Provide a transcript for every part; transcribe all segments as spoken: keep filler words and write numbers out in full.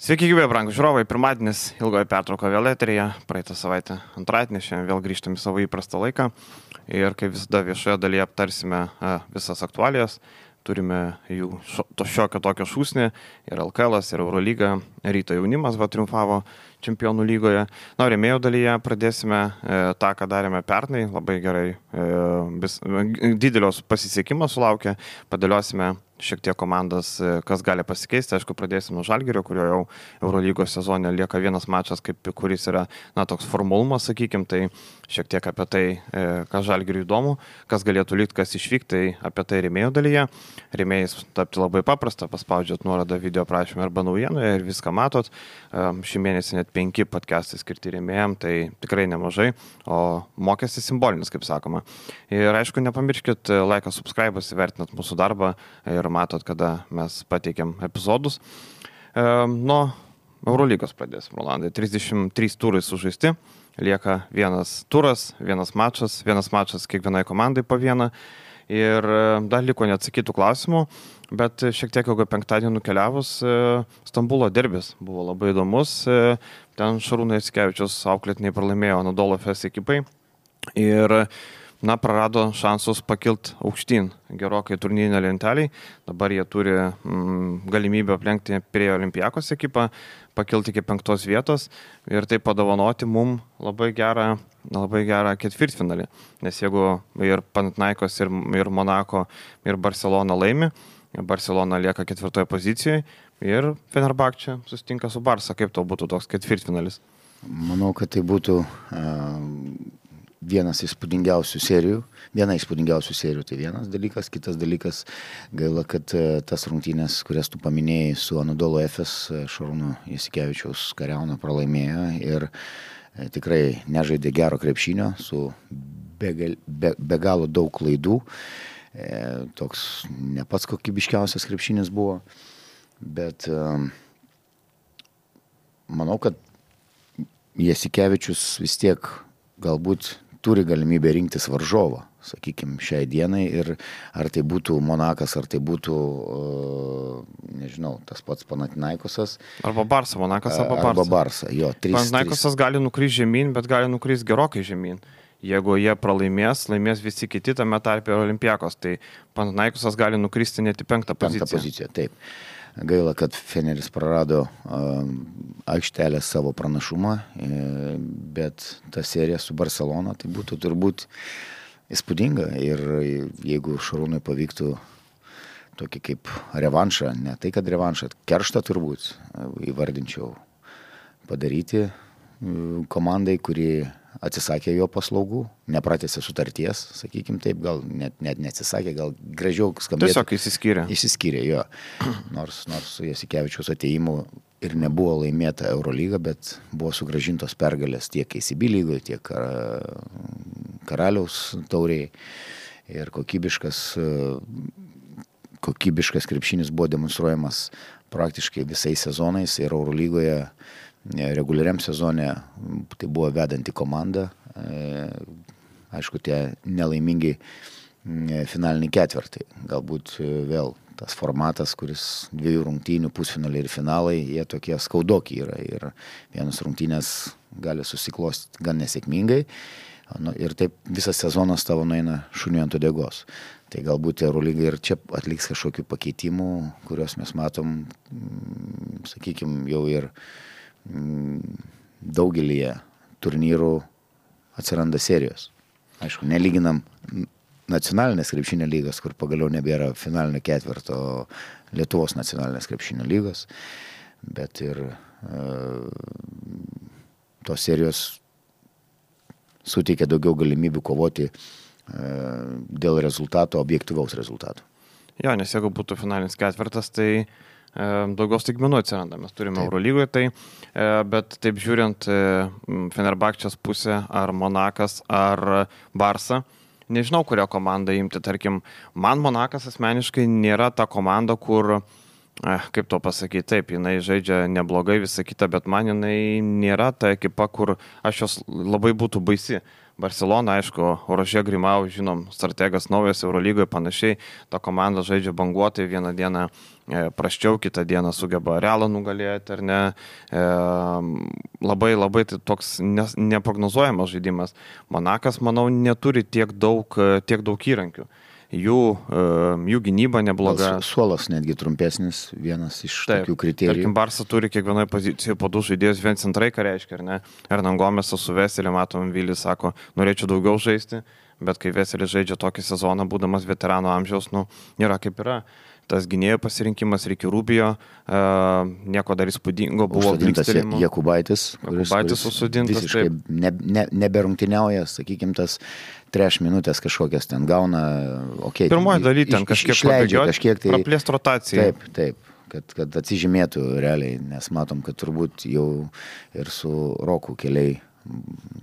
Sveiki, gyvi, brangūs žiūrovai. Pirmadienis, ilgoji pertrauka vėl eteryje. Praeitą savaitę antradienį, šiandien vėl grįžtam į savo įprastą laiką. Ir kaip visada viešoje dalyje aptarsime a, visas aktualijas. Turime jų šo, to šiokio tokio šūsnį. Ir L K L, ir Eurolyga. Ryto jaunimas va triumfavo Čempionų lygoje. Na, rėmėjų dalyje pradėsime e, tą, ką darėme pernai. Labai gerai. E, vis, didelios pasisekimo sulaukė. Padėliosime šiek tiek komandas, kas gali pasikeisti. Aišku, pradėsim nuo Žalgirio, kurio jau Eurolygos sezone lieka vienas mačas, kaip, kuris yra, na, toks formalumas, sakykim, tai šiek tiek apie tai, kas Žalgiriui įdomu, kas galėtų likti, kas išvykti, tai apie tai rėmėjų dalyje. Rėmėjais tapti labai paprasta, paspaudžiat nuorodą video prašymą arba naujienoje ir viską matot. Šį mėnesį net penki podcastai skirti rėmėjam, tai tikrai nemažai, o mokestis simbolinis, kaip sakoma. Ir aišku, nepamirškit laiką, subscribas, įvertinat mūsų darbą ir matot, kada mes pateikėm epizodus. E, nuo Eurolygos pradėsim, Rolandai. trisdešimt trys turai sužaisti, lieka vienas turas, vienas mačas, vienas mačas kiekvienai komandai po vieną. Ir dar liko neatsakytų klausimų, bet šiek tiek ilgo penktadienį nukeliavus, Stambulo derbis buvo labai įdomus. Ten Šarūno Jasikevičiaus auklėtiniai pralaimėjo Anadolu Efes ekipai ir na, prarado šansus pakilt aukštyn gerokai turnyrinę lentelį. Dabar jie turi mm, galimybę aplenkti prie Olimpiakos ekipą, pakilti iki penktos vietos ir tai padovanoti mum labai gerą, labai gerą ketvirtfinalį. Nes jeigu ir Panathinaikos, ir, ir Monako, ir Barcelona laimi, Barcelona lieka ketvirtoje pozicijoje ir Fenerbahčė susitinka su Barsa. Kaip to būtų toks ketvirtfinalis? Manau, kad tai būtų uh, vienas įspūdingiausių serijų. Viena įspūdingiausių serijų tai vienas dalykas. Kitas dalykas, gaila, kad uh, tas rungtynės, kurias tu paminėjai su Anadolu Efes, Šarūno Jasikevičiaus kariauna pralaimėjo ir uh, tikrai nežaidė gero krepšinio su be, be, be galo daug klaidų. E, toks ne pats kokybiškiausias krepšinis buvo, bet e, manau, kad Jasikevičius vis tiek galbūt turi galimybę rinktis varžovą, sakykime, šiai dienai, ir ar tai būtų Monakas, ar tai būtų, e, nežinau, tas pats Panathinaikosas. Arba Barsa, Monakas arba Barsa. Arba Barsa, jo. Panathinaikosas gali nukrysti žemyn, bet gali nukrysti gerokai žemyn. Jeigu jie pralaimės, laimės visi kiti tame tarpe Olimpiakos, tai Panathinaikosas gali nukristi net į penktą poziciją. Penktą poziciją, taip. Gaila, kad Feneris prarado uh, aikštelę savo pranašumą, uh, bet ta serija su Barcelona tai būtų turbūt įspūdinga. Ir jeigu Šarūnui pavyktų tokį kaip revanšą, ne tai kad revanšą, kerštą turbūt įvardinčiau padaryti uh, komandai, kuri atsisakė jo paslaugų, nepratęsė sutarties, sakykim taip, gal net, net neatsisakė, gal gražiau skambėtų. Tiesiog išsiskyrė. Išsiskyrė, jo. Nors, nors su Jasikevičiaus atėjimu ir nebuvo laimėta Eurolyga, bet buvo sugrąžintos pergalės tiek A C B lygoje, tiek Karaliaus taurėje. Ir kokybiškas, kokybiškas krepšinis buvo demonstruojamas praktiškai visais sezonais ir Eurolygoje reguliariam sezone tai buvo vedanti komanda. Aišku, tie nelaimingi finaliniai ketvirtai. Galbūt vėl tas formatas, kuris dviejų rungtynių, pusfinaliai ir finalai, jie tokie skaudoki yra. Ir vienas rungtynės gali susiklostyti gan nesėkmingai. Ir taip visas sezonas tavo nueina šuniui ant uodegos. Tai galbūt Eurolyga ir čia atliks kažkokių pakeitimų, kuriuos mes matom, sakykime, jau ir daugelyje turnyrų atsiranda serijos. Aišku, nelyginam nacionalinės krepšinio lygos, kur pagaliau nebėra finalinio ketvirto Lietuvos nacionalinės krepšinio lygos, bet ir e, tos serijos suteikia daugiau galimybių kovoti e, dėl rezultato, objektyvaus rezultato. Jo, nes jeigu būtų finalinis ketvirtas, tai daugiau staigmenų atsiranda. Mes turime Eurolygoje tai, bet taip žiūrint Fenerbahčės pusę, ar Monakas, ar Barsa, nežinau, kurią komandą imti. Tarkim, man Monakas asmeniškai nėra ta komanda, kur Kaip to pasakyti, taip, jinai žaidžia neblogai, visą kitą, bet man jinai nėra ta ekipa, kur aš jos labai būtų baisi. Barcelona, aišku, Rožė Grimau, žinom, strategas naujas Eurolygoje, panašiai, ta komanda žaidžia banguotai, vieną dieną e, praščiau, kitą dieną sugeba Realą nugalėti, ar ne. E, labai, labai tai toks ne, neprognozuojamas žaidimas. Monakas, manau, neturi tiek daug, tiek daug įrankių. Jų, jų gynyba nebloga. Suolas netgi trumpesnis, vienas iš Taip, tokių kriterijų. Tarkim, Barsa turi kiekvienoje pozicijoje po du žaidėjus, vien centrai, ką reiškia, ar ne? Hernan Gomesas su Veseliu, matom, Vilis sako, norėčiau daugiau žaisti, bet kai Veselis žaidžia tokį sezoną, būdamas veterano amžiaus, nu, nėra kaip yra. Tas gynėjų pasirinkimas, Ricky Rubio, uh, nieko dar įspūdingo buvo. Užsodintas Jakubaitis, Jakubaitis susodintas. Visiškai ne, ne, neberungtiniauja, sakykime, tas treš minutės kažkokias ten gauna. Okay, Pirmoji daly ten kažkiek išleidžia, kažkiek tai. Praplėst rotaciją. Taip, taip, kad, kad atsižymėtų realiai, nes matom, kad turbūt jau ir su Roku keliai,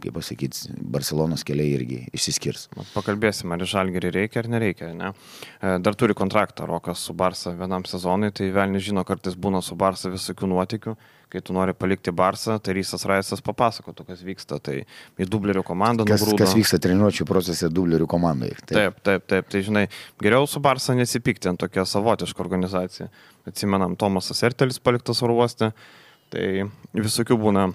kaip pasakyti, Barcelonos keliai irgi išsiskirs. Pakalbėsim, ar Žalgirį reikia ar nereikia, ne? Dar turi kontraktą Rokas su Barsa vienam sezonui, tai velni žino, kartais būna su Barsa visokių nuotykių. Kai tu nori palikti Barsą, tai Rysas Raisas papasakotų, kas vyksta, tai į dublerių komandą kas, nugrūdo. Kas vyksta treniruočių procese dublerių komandai. Taip. taip, taip, taip, tai žinai, geriau su Barsa nesipykti ant tokia savotiška organizacija. Atsimenam, Tomasas Ertelis paliktas oro uoste, tai visokių būna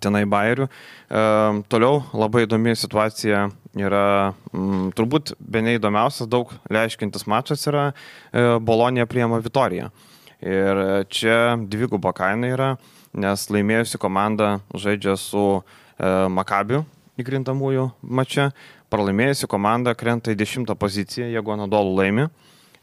tenai bairių. E, toliau labai įdomi situacija yra, m, turbūt bene įdomiausias, daug leiškintis mačas yra e, Bolonija priima Vitoriją. Ir čia dviguba kaina yra, nes laimėjusi komanda žaidžia su e, Makabiu įkrintamųjų mače, pralaimėjusi komanda krenta į dešimtą poziciją, jeigu Anadolu laimi,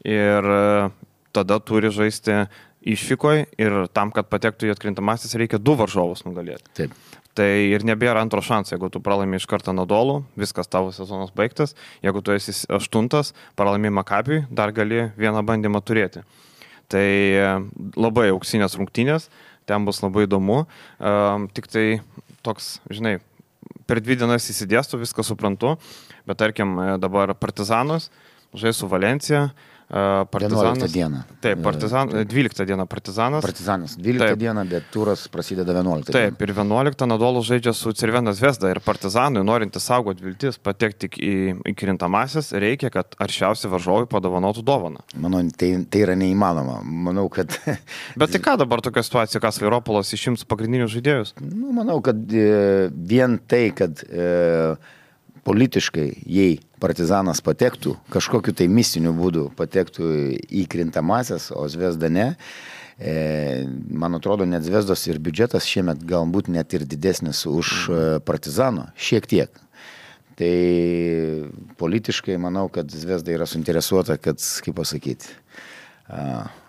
ir e, tada turi žaisti išvykoj ir tam, kad patektų į atkrintamasis, reikia du varžovus nugalėti. Taip. Tai ir nebėra antro šanso, jeigu tu pralaimi iš karto Anadolu, viskas tavo sezonas baigtas, jeigu tu esi aštuntas, pralaimi Makabiui, dar gali vieną bandymą turėti. Tai labai auksinės rungtynės, ten bus labai įdomu, um, tik tai toks, žinai, per dvi dienas įsidėstu, viską suprantu, bet tarkim dabar Partizanas žais su Valencija, Partizanas. vienuoliktą dieną. Taip, partizan, dvyliktą dieną Partizanas. Partizanas dvyliktą dieną, bet turas prasideda vienuoliktą dieną. Taip, ir vienuoliktą Anadolu žaidžia su Cervena Zvezda ir Partizanui, norinti saugoti viltis patekti į, į krintamasis, reikia, kad aršiausi varžovai padovanotų dovaną. Manau, tai, tai yra neįmanoma. Manau, kad... Bet tai ką dabar tokia situacija, kas Vairopolas išims pagrindinius žaidėjus? Nu, manau, kad e, vien tai, kad e, politiškai, jei Partizanas patektų, kažkokiu tai mistiniu būdu patektų į krintamasias, o Zvezda ne, e, man atrodo, net Zvezdos ir biudžetas šiemet galbūt net ir didesnis už Partizano, šiek tiek. Tai politiškai manau, kad Zvezda yra suinteresuota, kad, kaip pasakyti,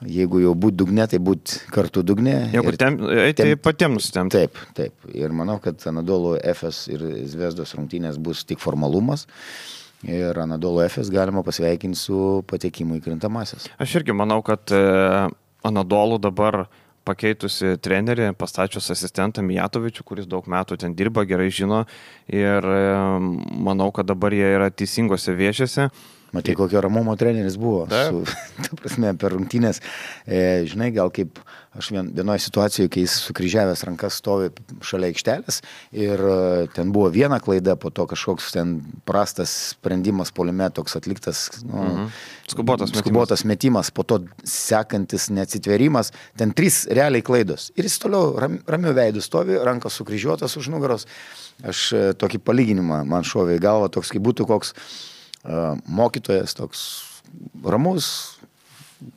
jeigu jau būt dugne, tai būt kartu dugne. Jeigu tem, eiti tem, patiems nustemti. Taip, taip. Ir manau, kad Anadolu Efes ir Zvezdos rungtynės bus tik formalumas. Ir Anadolu Efes galima pasveikinti su patekimu į krintamasis. Aš irgi manau, kad Anadolu dabar pakeitusi trenerį, pastačius asistentą Mijatovičių, kuris daug metų ten dirba, gerai žino. Ir manau, kad dabar jie yra teisingose viešėse. Matai, kokio ramumo treneris buvo. Su, ta prasme, per rungtynės, e, žinai, gal kaip aš vien, vienoje situacijoje, kai jis sukryžiavęs rankas stovi šalia aikštelės ir e, ten buvo viena klaida, po to kažkoks ten prastas sprendimas puolime, toks atliktas nu, mhm. skubotas, skubotas metimas. metimas, po to sekantis neatsitverimas, ten trys realiai klaidos. Ir jis toliau ram, ramiu veidu stovi, rankas sukryžiuotas už nugaros. Aš e, tokį palyginimą man šovė į galvą, toks kaip būtų koks mokytojas toks ramus,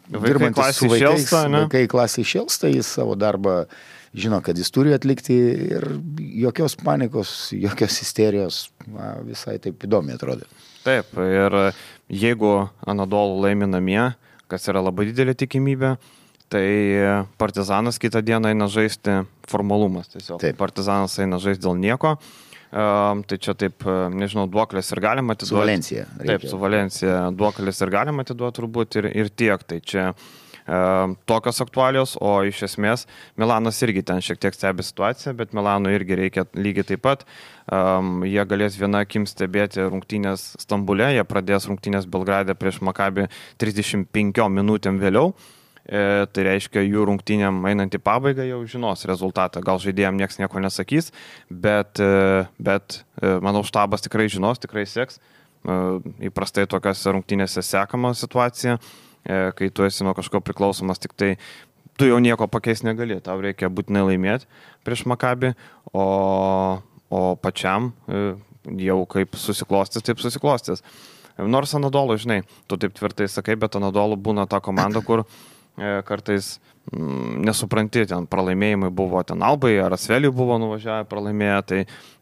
dirbantis su vaikais, šelsta, vaikai klasiai šelsta, jis savo darbą žino, kad jis turi atlikti ir jokios panikos, jokios isterijos, na, visai taip įdomiai atrodo. Taip, ir jeigu Anadolu laimi namie, kas yra labai didelė tikimybė, tai Partizanas kitą dieną eina žaisti formalumas. Tiesiog taip. Partizanas eina žaisti dėl nieko. Uh, tai čia taip, nežinau, duoklės ir galima atiduoti. Su Valencija. Reikia. Taip, su Valencija duoklės ir galima atiduoti turbūt ir, ir tiek. Tai čia uh, tokios aktualios, o iš esmės Milanas irgi ten šiek tiek stebi situaciją, bet Milanui irgi reikia lygiai taip pat. Um, jie galės viena akim stebėti rungtynės Stambule, jie pradės rungtynės Belgrade prieš Makabį trisdešimt penkiom minutėm vėliau. E, tai reiškia, jų rungtynėm einant į pabaigą jau žinos rezultatą. Gal žaidėjams niekas nieko nesakys, bet, e, bet e, manau, štabas tikrai žinos, tikrai seks. E, įprastai tokiose rungtynėse sekama situacija, e, kai tu esi nuo kažko priklausomas, tik tai tu jau nieko pakeisti negali, tau reikia būtinai laimėti prieš Makabį, o, o pačiam e, jau kaip susiklostys, taip susiklostys. Nors Anadolu, žinai, tu taip tvirtai sakai, bet Anadolu būna ta komanda, kur kartais mm, nesupranti, ten pralaimėjimai buvo, ten Albai ar Asveliui buvo nuvažiavę pralaimėję, tai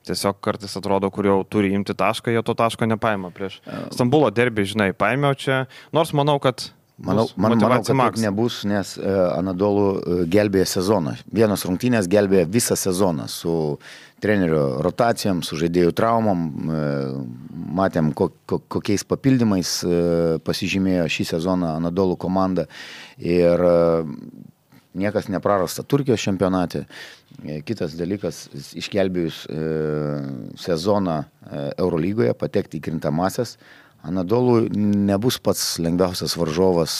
tiesiog kartais atrodo, kur jau turi imti tašką, jie to taško nepaima prieš Stambulo derbį, žinai, paėmiau čia, nors manau, kad Manau, man, manau, kad taip nebus, nes uh, Anadolu uh, gelbėja sezoną. Vienos rungtynės gelbėja visą sezoną su trenerio rotacijom, su žaidėjų traumom. Uh, matėm, ko, ko, kokiais papildymais uh, pasižymėjo šį sezoną Anadolu komanda. Ir uh, niekas neprarasta Turkijos čempionate. Kitas dalykas, išgelbėjus uh, sezoną uh, Eurolygoje, patekti į krintamasias, Anadolu nebus pats lengviausias varžovas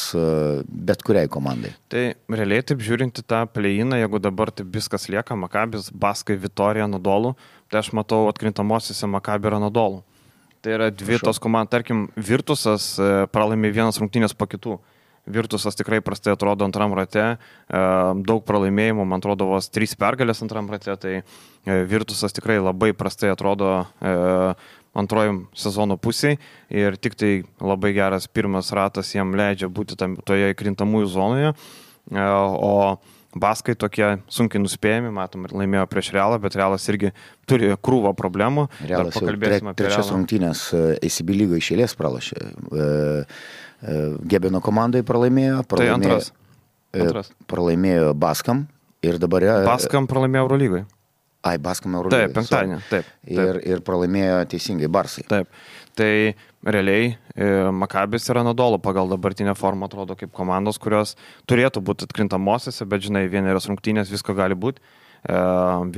bet kuriai komandai. Tai realiai taip žiūrinti tą play-iną, jeigu dabar taip viskas lieka, Makabis, Baskai, Vitorija, Anadolu, tai aš matau atkrintamosiose Makabi ir Anadolu. Tai yra dvi Prašau. tos komandos, tarkim, Virtusas pralaimė vienas rungtynės po kitų. Virtusas tikrai prastai atrodo antram rate, daug pralaimėjimų, man atrodo, vos trys pergalės antram rate, tai Virtusas tikrai labai prastai atrodo antrojim sezono pusiai ir tik tai labai geras pirmas ratas jam leidžia būti tam, toje krintamųjų zonoje, o Baskai tokie sunkiai nuspėjami, matom, laimėjo prieš Realą, bet Realas irgi turi krūvą problemų. Realas jau tre, trečias rungtynės A C B lygo išėlės pralašė. Gebeno komandai pralaimėjo, pralaimėjo, tai antras. antras. pralaimėjo Baskam ir dabar... Baskam pralaimėjo Eurolygoje. Ai, Baskam Eurolygoje. Taip, penktadienį, taip, taip. Ir, ir pralaimėjo teisingai Barsai. Taip, tai realiai e, Makabis ir Anadolu pagal dabartinę formą atrodo kaip komandos, kurios turėtų būti atkrintamosiose, bet žinai, vienerios rungtynės visko gali būti. E,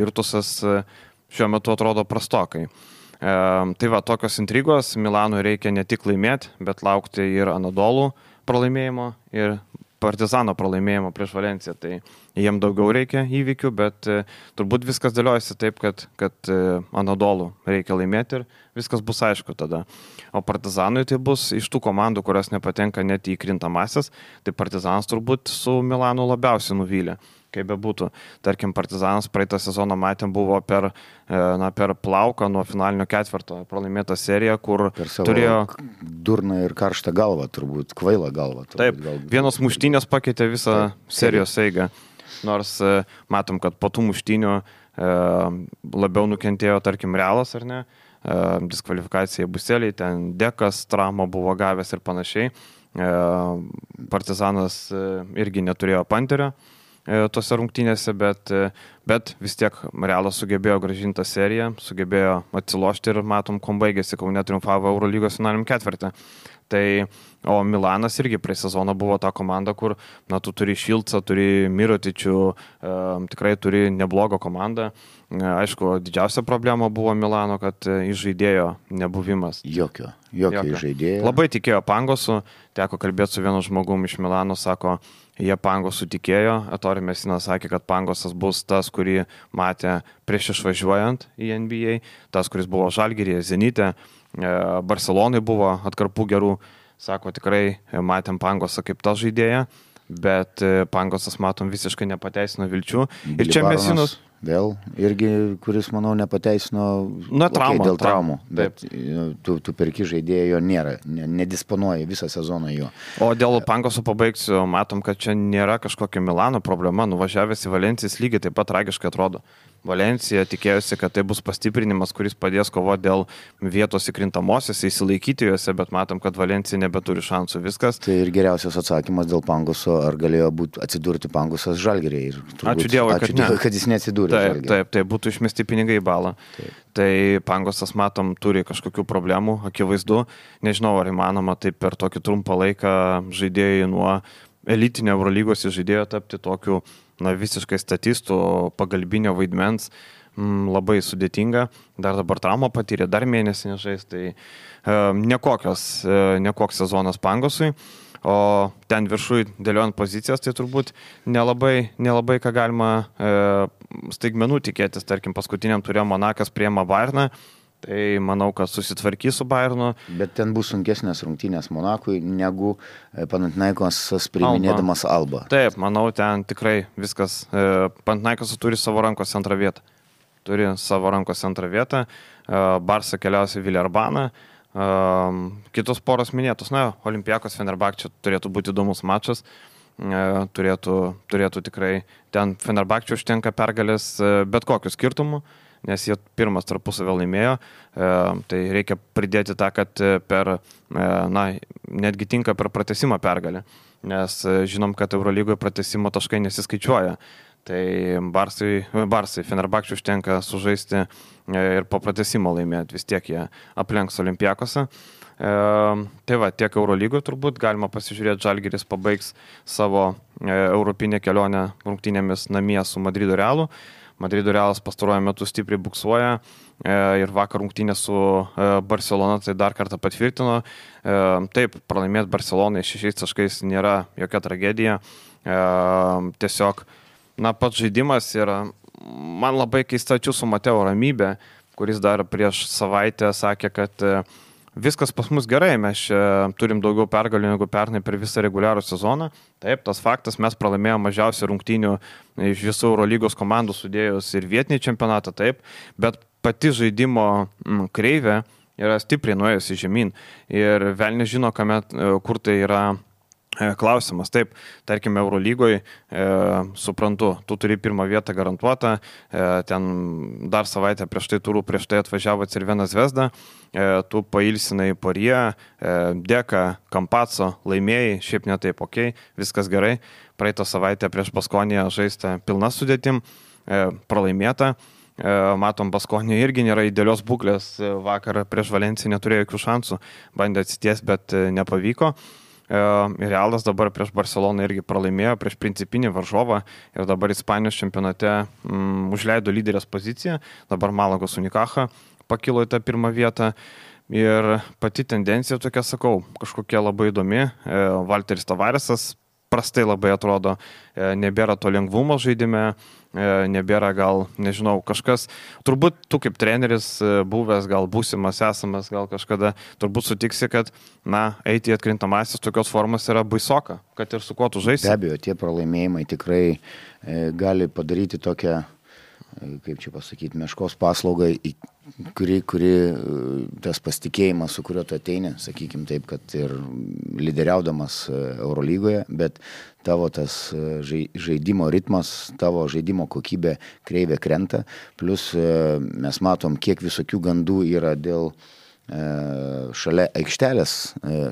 Virtusas e, šiuo metu atrodo prastokai. E, tai va, tokios intrigos, Milanui reikia ne tik laimėti, bet laukti ir Anadolu pralaimėjimo ir Partizano pralaimėjimo prieš Valenciją, tai jiem daugiau reikia įvykių, bet e, turbūt viskas dėliojasi taip, kad, kad e, Anadolu reikia laimėti ir viskas bus aišku tada. O Partizanui tai bus iš tų komandų, kurios nepatenka net į krintamasias, tai Partizanas turbūt su Milanu labiausiai nuvylė. Kaip be būtų. Tarkim, Partizanas praeitą sezoną matėm buvo per, na, per plauką nuo finalinio ketvirto pralaimėtą seriją, kur turėjo... durną ir karštą galvą, turbūt, kvailą galvą. Turbūt, Taip, galbūt. Vienos muštynės pakeitė visą Taip, serijos eigą. Nors matom, kad po tų muštynių e, labiau nukentėjo, tarkim, Realas, ar ne? E, diskvalifikacija Buseliai, ten Dekas, traumą buvo gavęs ir panašiai. E, Partizanas e, irgi neturėjo panterio tose rungtynėse, bet, bet vis tiek Realas sugebėjo grąžinti tą seriją, sugebėjo atsilošti ir matom, kuom baigėsi, Kaune triumfavo Eurolygos finaliniam ketvirtį. Tai, o Milanas irgi prie sezono buvo ta komanda, kur, na, tu turi Šilcą, turi Mirotičių, e, tikrai turi neblogą komandą. E, aišku, didžiausia problema buvo Milano, kad žaidėjo nebuvimas. Jokio, jokio, jokio. žaidėjo. Labai tikėjo Pangosu, teko kalbėti su vienu žmogum iš Milano, sako, jie Pangosų tikėjo, Ettore Messina sakė, kad Pangosas bus tas, kurį matė prieš išvažiuojant į N B A, tas, kuris buvo Žalgiryje, Zenite, Barcelonai buvo atkarpų gerų, sako, tikrai matėm Pangosą kaip tą žaidėją, bet Pangosas, matom, visiškai nepateisino vilčių. Ir čia Messinas... Vėl irgi, kuris, manau, nepateisino Na, trauma, okay, dėl traumų, traum. bet tu, tu perki žaidėjo, jo nėra, nedisponuoji visą sezoną jo. O dėl Pangoso pabaigsiu, matom, kad čia nėra kažkokia Milano problema, nuvažiavęs į Valencijas lygiai taip pat tragiškai atrodo. Valencija tikėjosi, kad tai bus pastiprinimas, kuris padės kovoti dėl vietos įkrintamosiose, įsilaikyti juose, bet matom, kad Valencija nebeturi šansų viskas. Tai ir geriausias atsakymas dėl Pangoso, ar galėjo būti atsidurti Pangosas Žalgiryje. Ačiū Dievui, kad, ačiū Dievui, kad jis neatsidūrė. Taip, taip, taip, būtų išmesti pinigai į balą. Taip. Tai Pangosas, matom, turi kažkokių problemų, akivaizdu. Nežinau, ar įmanoma taip per tokį trumpą laiką žaidėjai nuo elitinio Eurolygos žaidėjo tapti tokiu, na, visiškai statistų, pagalbinio vaidmens, m, labai sudėtinga. Dar dabar traumą patyrė, dar mėnesį nežais, tai e, nekokios, e, nekoks sezonas Pangosui. o ten viršui dėliojant pozicijas, tai turbūt nelabai, nelabai ką galima e, staigmenų tikėtis. Tarkim, paskutiniam turėjo Monakas priema Bayerną, tai manau, kad susitvarkys su Bayernu. Bet ten bus sunkesnės rungtynės Monakui negu Panathinaikosas priiminėdamas Alba. Taip, manau, ten tikrai viskas. E, Panathinaikosas turi savo rankose antrą vietą. Turi savo rankose antrą vietą. E, Barsa keliausia Villarbaną. E, kitos poros minėtos. Na, Olympiakos Fenerbahčė turėtų būti įdomus mačas. E, turėtų, turėtų tikrai ten Fenerbahčė užtenka pergalės e, bet kokiu skirtumu, nes jie pirmas tarpusavį laimėjo, e, tai reikia pridėti tą, kad per, e, na, netgi tinka per pratęsimą pergalę, nes e, žinom, kad Eurolygoje pratęsimo taškai nesiskaičiuoja, tai Barsai, Barsai Fenerbahčė užtenka sužaisti e, ir po pratęsimo laimėti, vis tiek jie aplenks Olympiakosą. E, tai va, tiek Eurolygoje turbūt galima pasižiūrėti, Žalgiris pabaigs savo e, europinę kelionę rungtynėmis namie su Madrido Realu. Madrido Realas pastaruoju metu stipriai buksuoja e, ir vakar rungtynė su e, Barcelona tai dar kartą patvirtino. E, taip, pralaimėti Barcelonai šešiais taškais nėra jokia tragedija. E, tiesiog, na, pats žaidimas yra, man labai keista čia su Mateo Ramybė, kuris dar prieš savaitę sakė, kad e, viskas pas mus gerai, mes turim daugiau pergalių negu pernai per visą reguliarų sezoną. Taip, tas faktas, mes pralaimėjome mažiausiai rungtynių iš visų Eurolygos komandų sudėjus ir vietinį čempionatą, taip, bet pati žaidimo m, kreivė yra stipriai nuėjusi žemyn ir vėl nežino, kamet, kur tai yra klausimas. Taip, tarkime, Eurolygoje, e, suprantu, tu turi pirmą vietą garantuotą, e, ten dar savaitę prieš tai turų, prieš tai atvažiavo Cervena Zvezda, e, tu pailsinai Porie, e, Deka, Kampaco, laimėjai, šiaip ne taip, ok, viskas gerai, praeitą savaitę prieš Baskoniją žaista pilna sudėtim, e, pralaimėta. Matom, Baskonė irgi nėra idealios būklės, vakar prieš Valenciją neturėjo jokių šansų, bandė atsities, bet nepavyko. Ir Realas dabar prieš Barceloną irgi pralaimėjo, prieš principinį varžovą ir dabar Ispanijos čempionate mm, užleido lyderės poziciją, dabar Malagos Unicaja pakilo į tą pirmą vietą ir pati tendencija tokia, sakau, kažkokia labai įdomi. Valteris Tavaresas prastai labai atrodo, nebėra to lengvumo žaidime, nebėra gal, nežinau, kažkas, turbūt tu kaip treneris buvęs, gal būsimas, esamas, gal kažkada, turbūt sutiksi, kad, na, eiti į atkrintamasis tokios formos yra baisoka, kad ir su kuo tu žaisi. Be abejo, tie pralaimėjimai tikrai e, gali padaryti tokią, e, kaip čia pasakyti, meškos paslaugą, į, kuri, kuri tas pasitikėjimas, su kuriuo tu ateini, sakykime taip, kad ir lyderiaudamas Eurolygoje, bet tavo tas žaidimo ritmas, tavo žaidimo kokybė kreivė krenta, plus mes matom, kiek visokių gandų yra dėl šalia aikštelės,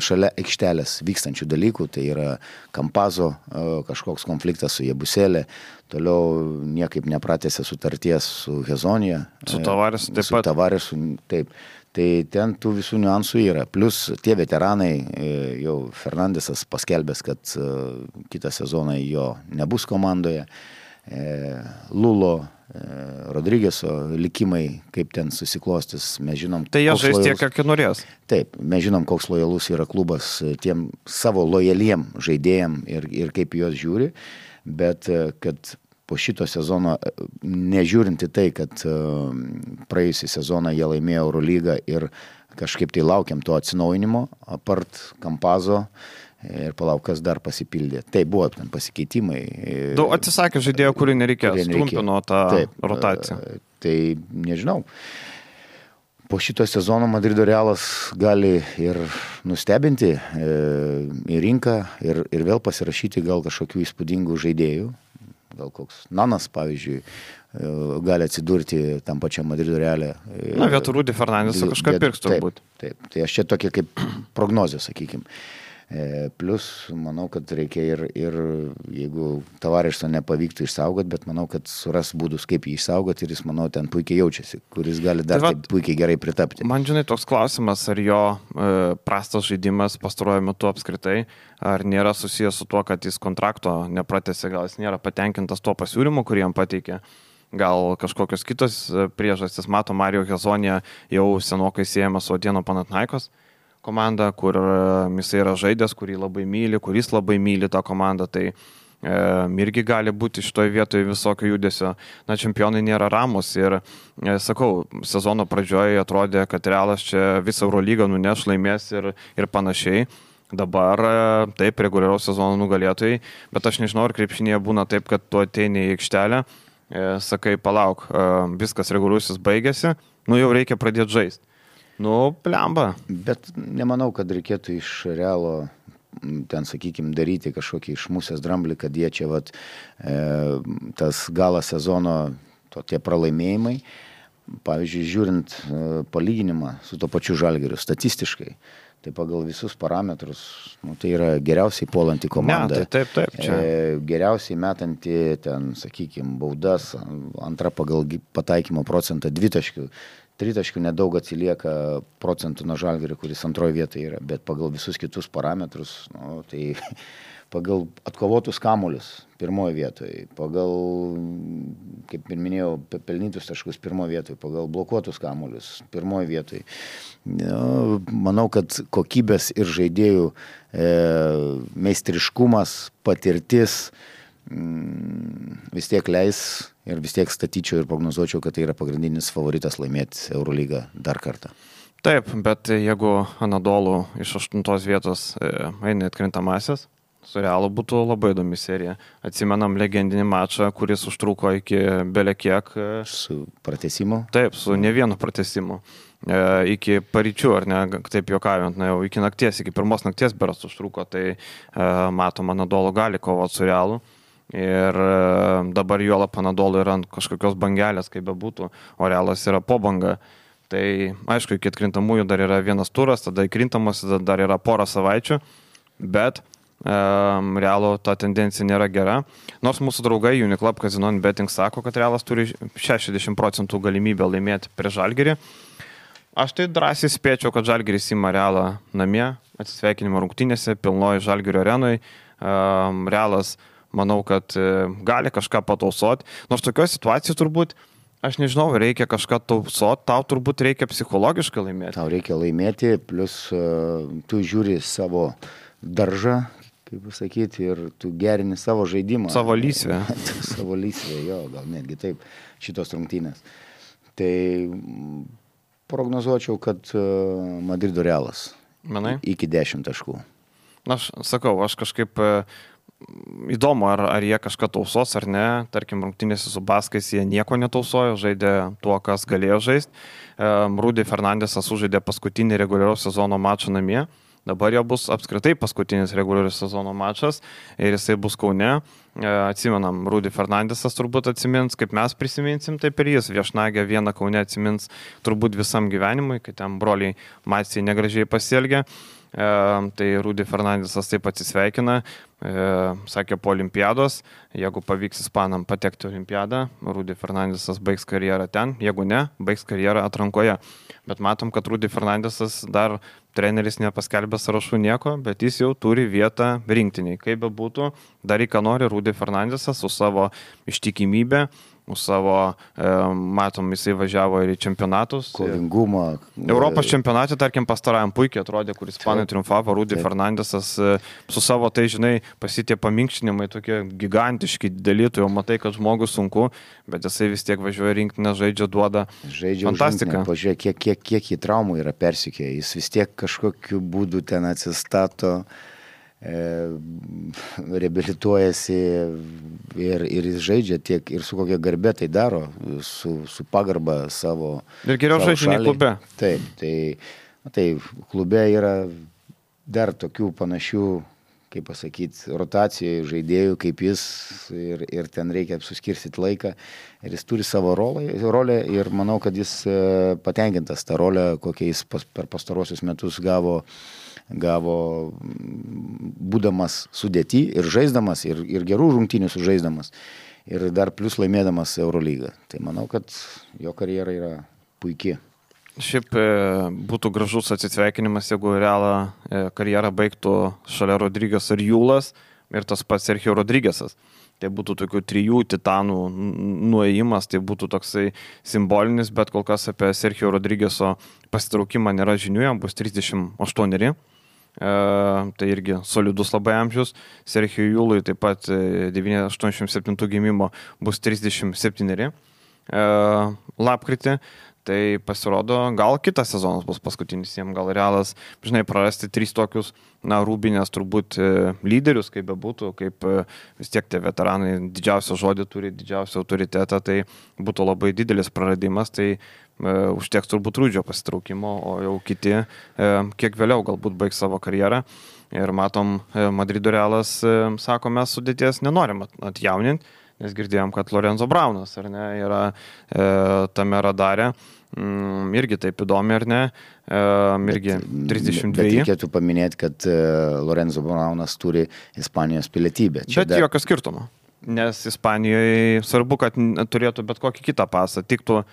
šalia aikštelės vykstančių dalykų, tai yra Kampazo kažkoks konfliktas su Jebuselė, toliau niekaip nepratęsė sutarties su Hezonija. Su Tavaresu taip su pat. Tavaresu, taip. Tai ten tų visų niuansų yra. Plus tie veteranai, jau Fernandesas paskelbęs, kad kitą sezoną jo nebus komandoje, Lulo, Rodrigeso likimai, kaip ten susiklostys, mes žinom. Tai jie žais tiek, kiek norės. Taip, mes žinom, koks lojalus yra klubas tiem savo lojaliem žaidėjim ir, ir kaip juos žiūri, bet kad po šito sezono, nežiūrinti tai, kad praėjusį sezoną jie laimėjo Eurolygą ir kažkaip tai laukiam to atsinaujinimo, apart Kampazo, ir palauk, kas dar pasipildė. Tai buvo ten pasikeitimai. Du atsisakė žaidėjo, kurį nereikėjo, strumpino tą Taip, rotaciją. Tai nežinau. Po šito sezono Madrido Realas gali ir nustebinti į rinką ir, ir vėl pasirašyti gal kažkokių įspūdingų žaidėjų. Gal koks Nanas, pavyzdžiui, gali atsidurti tam pačiam Madrido Reale. Na, vietoj Rudy Fernandesą kažką pirks turbūt. Taip, taip. Tai aš čia tokia kaip prognozė, sakykime. Plus, manau, kad reikia ir, ir jeigu Tavareso nepavyktų išsaugoti, bet manau, kad suras būdus, kaip jį išsaugoti ir jis, manau, ten puikiai jaučiasi, kuris gali dar tai va, taip puikiai gerai pritapti. Man, žinai, toks klausimas, ar jo e, prastas žaidimas pastaruoju metu apskritai, ar nėra susijęs su tuo, kad jis kontrakto nepratęsė, gal jis nėra patenkintas tuo pasiūlymu, kurį jam pateikė. Gal kažkokios kitos priežastys, mato, Mario Hezonija jau senokai siejama su Atėnų Panathinaikos, komanda, kur jis yra žaidęs, kurį labai myli, kuris labai myli tą komandą, tai e, irgi gali būti šitoje vietoje visokio judesio. Na, čempionai nėra ramus ir, e, sakau, sezono pradžioje atrodė, kad Realas čia visą Eurolygą nuneš, laimės ir, ir panašiai. Dabar taip, reguliaraus sezono nugalėtojai, bet aš nežinau, ar krepšinėje būna taip, kad tu ateini į aikštelę, e, sakai, palauk, e, viskas reguliusis baigėsi, nu jau reikia pradėti žaisti. Nu, plemba. Bet nemanau, kad reikėtų iš Realo ten, sakykime, daryti kažkokį išmusęs dramblį, kad jie čia, vat, e, tas gala sezono, to tie pralaimėjimai, pavyzdžiui, žiūrint e, palyginimą su to pačiu Žalgiriu, statistiškai, tai pagal visus parametrus, nu, tai yra geriausiai puolanti komanda. Ne, tai taip, taip. Čia. E, geriausiai metanti, ten, sakykime, baudas, antra pagal pataikymo procentą dvitaškių. Tritaškių nedaug atsilieka procentų nuo Žalgirio, kuris antroje vietoje yra, bet pagal visus kitus parametrus, nu, tai pagal atkovotus kamuolius pirmoje vietoje, pagal, kaip ir minėjau, pelnytus taškus pirmoje vietoje, pagal blokuotus kamuolius pirmoje vietoje. Nu, manau, kad kokybės ir žaidėjų e, meistriškumas, patirtis mm, vis tiek leis ir vis tiek statyčiau ir prognozuočiau, kad tai yra pagrindinis favoritas laimėti Eurolygą dar kartą. Taip, bet jeigu Anadolu iš aštuntos vietos e, eina atkrintamasis, su Realu būtų labai įdomi serija. Atsimenam legendinį mačą, kuris užtruko iki belekiek. Su pratęsimu? Taip, su ne vienu pratęsimu. E, iki paryčių, ar ne, taip juokaujant, na jau iki nakties, iki pirmos nakties beras užtruko, tai e, matom, Anadolu gali kovoti su Realu. Ir e, dabar juolap Anadolu yra ant kažkokios bangelės, kaip bebūtų, o Realas yra po banga. Tai aišku, iki atkrintamųjų dar yra vienas turas, tada įkrintamas, tada dar yra pora savaičių, bet Realo ta tendencija nėra gera. Nors mūsų draugai Uniclub Casino Betting sako, kad Realas turi šešiasdešimt procentų galimybę laimėti prie Žalgirį. Aš tai drąsiai spėčiau, kad Žalgiris ima Realą namie, atsisveikinimo rungtynėse, pilnoji Žalgirio arenui. Realas, manau, kad gali kažką patausoti. Nors tokioje situacijoje turbūt, aš nežinau, reikia kažką tausoti, tau turbūt reikia psichologiškai laimėti. Tau reikia laimėti, plus uh, tu žiūri savo daržą, kaip pasakyti, ir tu gerini savo žaidimą. Savo lysvę. Savo lysvę, jo, gal netgi taip, šitos rungtynės. Tai prognozuočiau, kad Madrido Realas. Manai? Iki dešimt taškų. Aš sakau, aš kažkaip įdomu, ar, ar jie kažką tausos ar ne. Tarkim, rungtynėse su Baskais jie nieko netausojo, žaidė tuo, kas galėjo žaisti. Rudy Fernandesas užžaidė paskutinį reguliaraus sezono mačą namie. Dabar jau bus apskritai paskutinis reguliarus sezono mačas ir jisai bus Kaune. Atsimenam, Rudy Fernandesas turbūt atsimins, kaip mes prisiminsim, taip ir jis viešnagę vieną Kaune atsimins turbūt visam gyvenimui, kai ten broliai Maciai negražiai pasielgė. E, tai Rudy Fernandesas taip atsisveikina, e, sakė po olimpiados, jeigu pavyks ispanam patekti olimpiadą, Rudy Fernandesas baigs karjerą ten, jeigu ne, baigs karjerą atrankoje. Bet matom, kad Rudy Fernandesas dar treneris nepaskelbė sąrašų nieko, bet jis jau turi vietą rinktiniai. Kaip be būtų, dar į ką nori Rudy Fernandesas su savo ištikimybė, su savo, e, matom, jisai važiavo ir į čempionatus. Kovingumą. Europos čempionate, tarkim, pastarajam puikiai atrodė, kuris Ispanai triumfavo, Rudy Taip. Fernandesas e, su savo, tai žinai, pasitie paminkštinimai tokie gigantiški, dideli, tu jau matai, kad žmogus sunku, bet jisai vis tiek važiuoja rinktinę, žaidžia, duoda žaidžia fantastiką. Pažiūrėk, kiek, kiek, kiek į traumų yra persikė, jis vis tiek kažkokiu būdu ten atsistato, e, reabilituojasi ir, ir jis žaidžia tiek ir su kokia garbė tai daro, su, su pagarba savo. Ir geriau žaidžia nei klube. Taip, tai, tai klube yra dar tokių panašių, kaip pasakyti, rotacijų žaidėjų kaip jis ir, ir ten reikia suskirstyti laiką ir jis turi savo rolę, rolę ir manau, kad jis patenkintas tą rolę, kokią jis pas, per pastarosius metus gavo, gavo būdamas sudėty ir žaisdamas ir, ir gerų rungtynių sužaisdamas ir dar plus laimėdamas Eurolygą. Tai manau, kad jo karjera yra puikiai. Šiaip e, būtų gražus atsisveikinimas, jeigu Realą e, karjerą baigtų šalia Rodrygas ir Jūlas ir tas pats Sergio Rodrygesas. tai būtų tokių trijų titanų nuėjimas, tai būtų toksai simbolinis, bet kol kas apie Sergio Rodrigeso pasitraukimą nėra žinių, jam bus trisdešimt aštuoneri. E, tai irgi solidus labai amžius. Sergio Jūlui taip pat devyniasdešimt septintų gimimo bus trisdešimt septyneri e, lapkritį. Tai pasirodo, gal kitas sezonas bus paskutinis jiems, gal Realas, žinai, prarasti trys tokius, na, Rūbinės turbūt lyderius, kaip bebūtų, kaip vis tiek tie veteranai didžiausią žodį turi, didžiausią autoritetą, tai būtų labai didelis praradimas, tai e, užteks turbūt Rūdžio pasitraukimo, o jau kiti e, kiek vėliau galbūt baigs savo karjerą. Ir matom, e, Madrido Realas e, sako, mes sudėties nenorim atjauninti, nes girdėjom, kad Lorenzo Braunas, ar ne, yra e, tame radare. Mm, irgi taip įdomi, ar ne? E, irgi trisdešimt dveji. Bet reikėtų paminėti, kad e, Lorenzo Braunas turi Ispanijos pilietybę. Čia bet dar... jokio skirtumo. Nes Ispanijoje svarbu, kad turėtų bet kokį kitą pasą. Tiktų,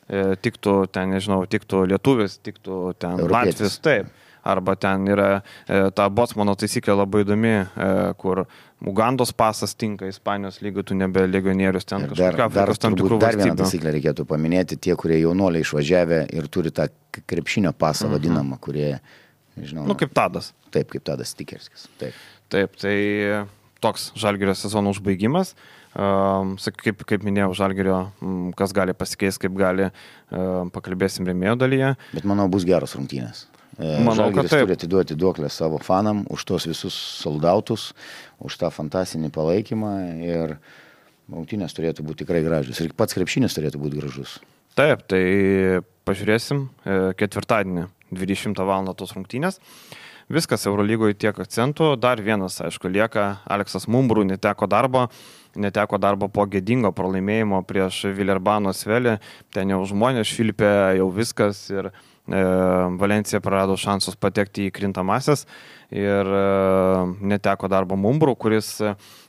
e, tiktų ten, nežinau, tiktų lietuvis, tiktų ten Europietis. Latvis, taip. Arba ten yra e, ta Bocmano taisyklė labai įdomi, e, kur Ugandos pasas tinka Ispanijos lygių, tu nebe legionierius ten kažkokia Afrikos tam tikrų valstybių. Dar vieną taisyklę reikėtų paminėti, tie, kurie jaunuoliai išvažiavę ir turi tą krepšinio pasą uh-huh. vadinamą, kurie, nežinau. Nu, kaip Tadas. Taip, kaip Tadas Tikerskis. Taip. Taip, tai toks Žalgirio sezono užbaigimas. Um, kaip, kaip minėjau, Žalgirio, um, kas gali pasikeisti, kaip gali, um, pakalbėsim rėmėjo dalyje. Bet manau, bus geros rungtynės. Manau, Žalgiris turi atiduoti duoklę savo fanam už tos visus soldautus, už tą fantastinį palaikymą ir rungtynės turėtų būti tikrai gražius. Ir pats krepšinis turėtų būti gražus. Taip, tai pažiūrėsim ketvirtadienį dvidešimtą valandą tos rungtynės. Viskas Eurolygoje tiek akcentų. Dar vienas, aišku, lieka. Aleksas Mumbrų neteko darbo. Neteko darbo po gėdingo pralaimėjimo prieš Vilerbano Svelį. Ten jau žmonės švilpė, jau viskas ir e, Valencija prarado šansus patekti į krintamasias ir e, neteko darbo Mumbrų, kuris,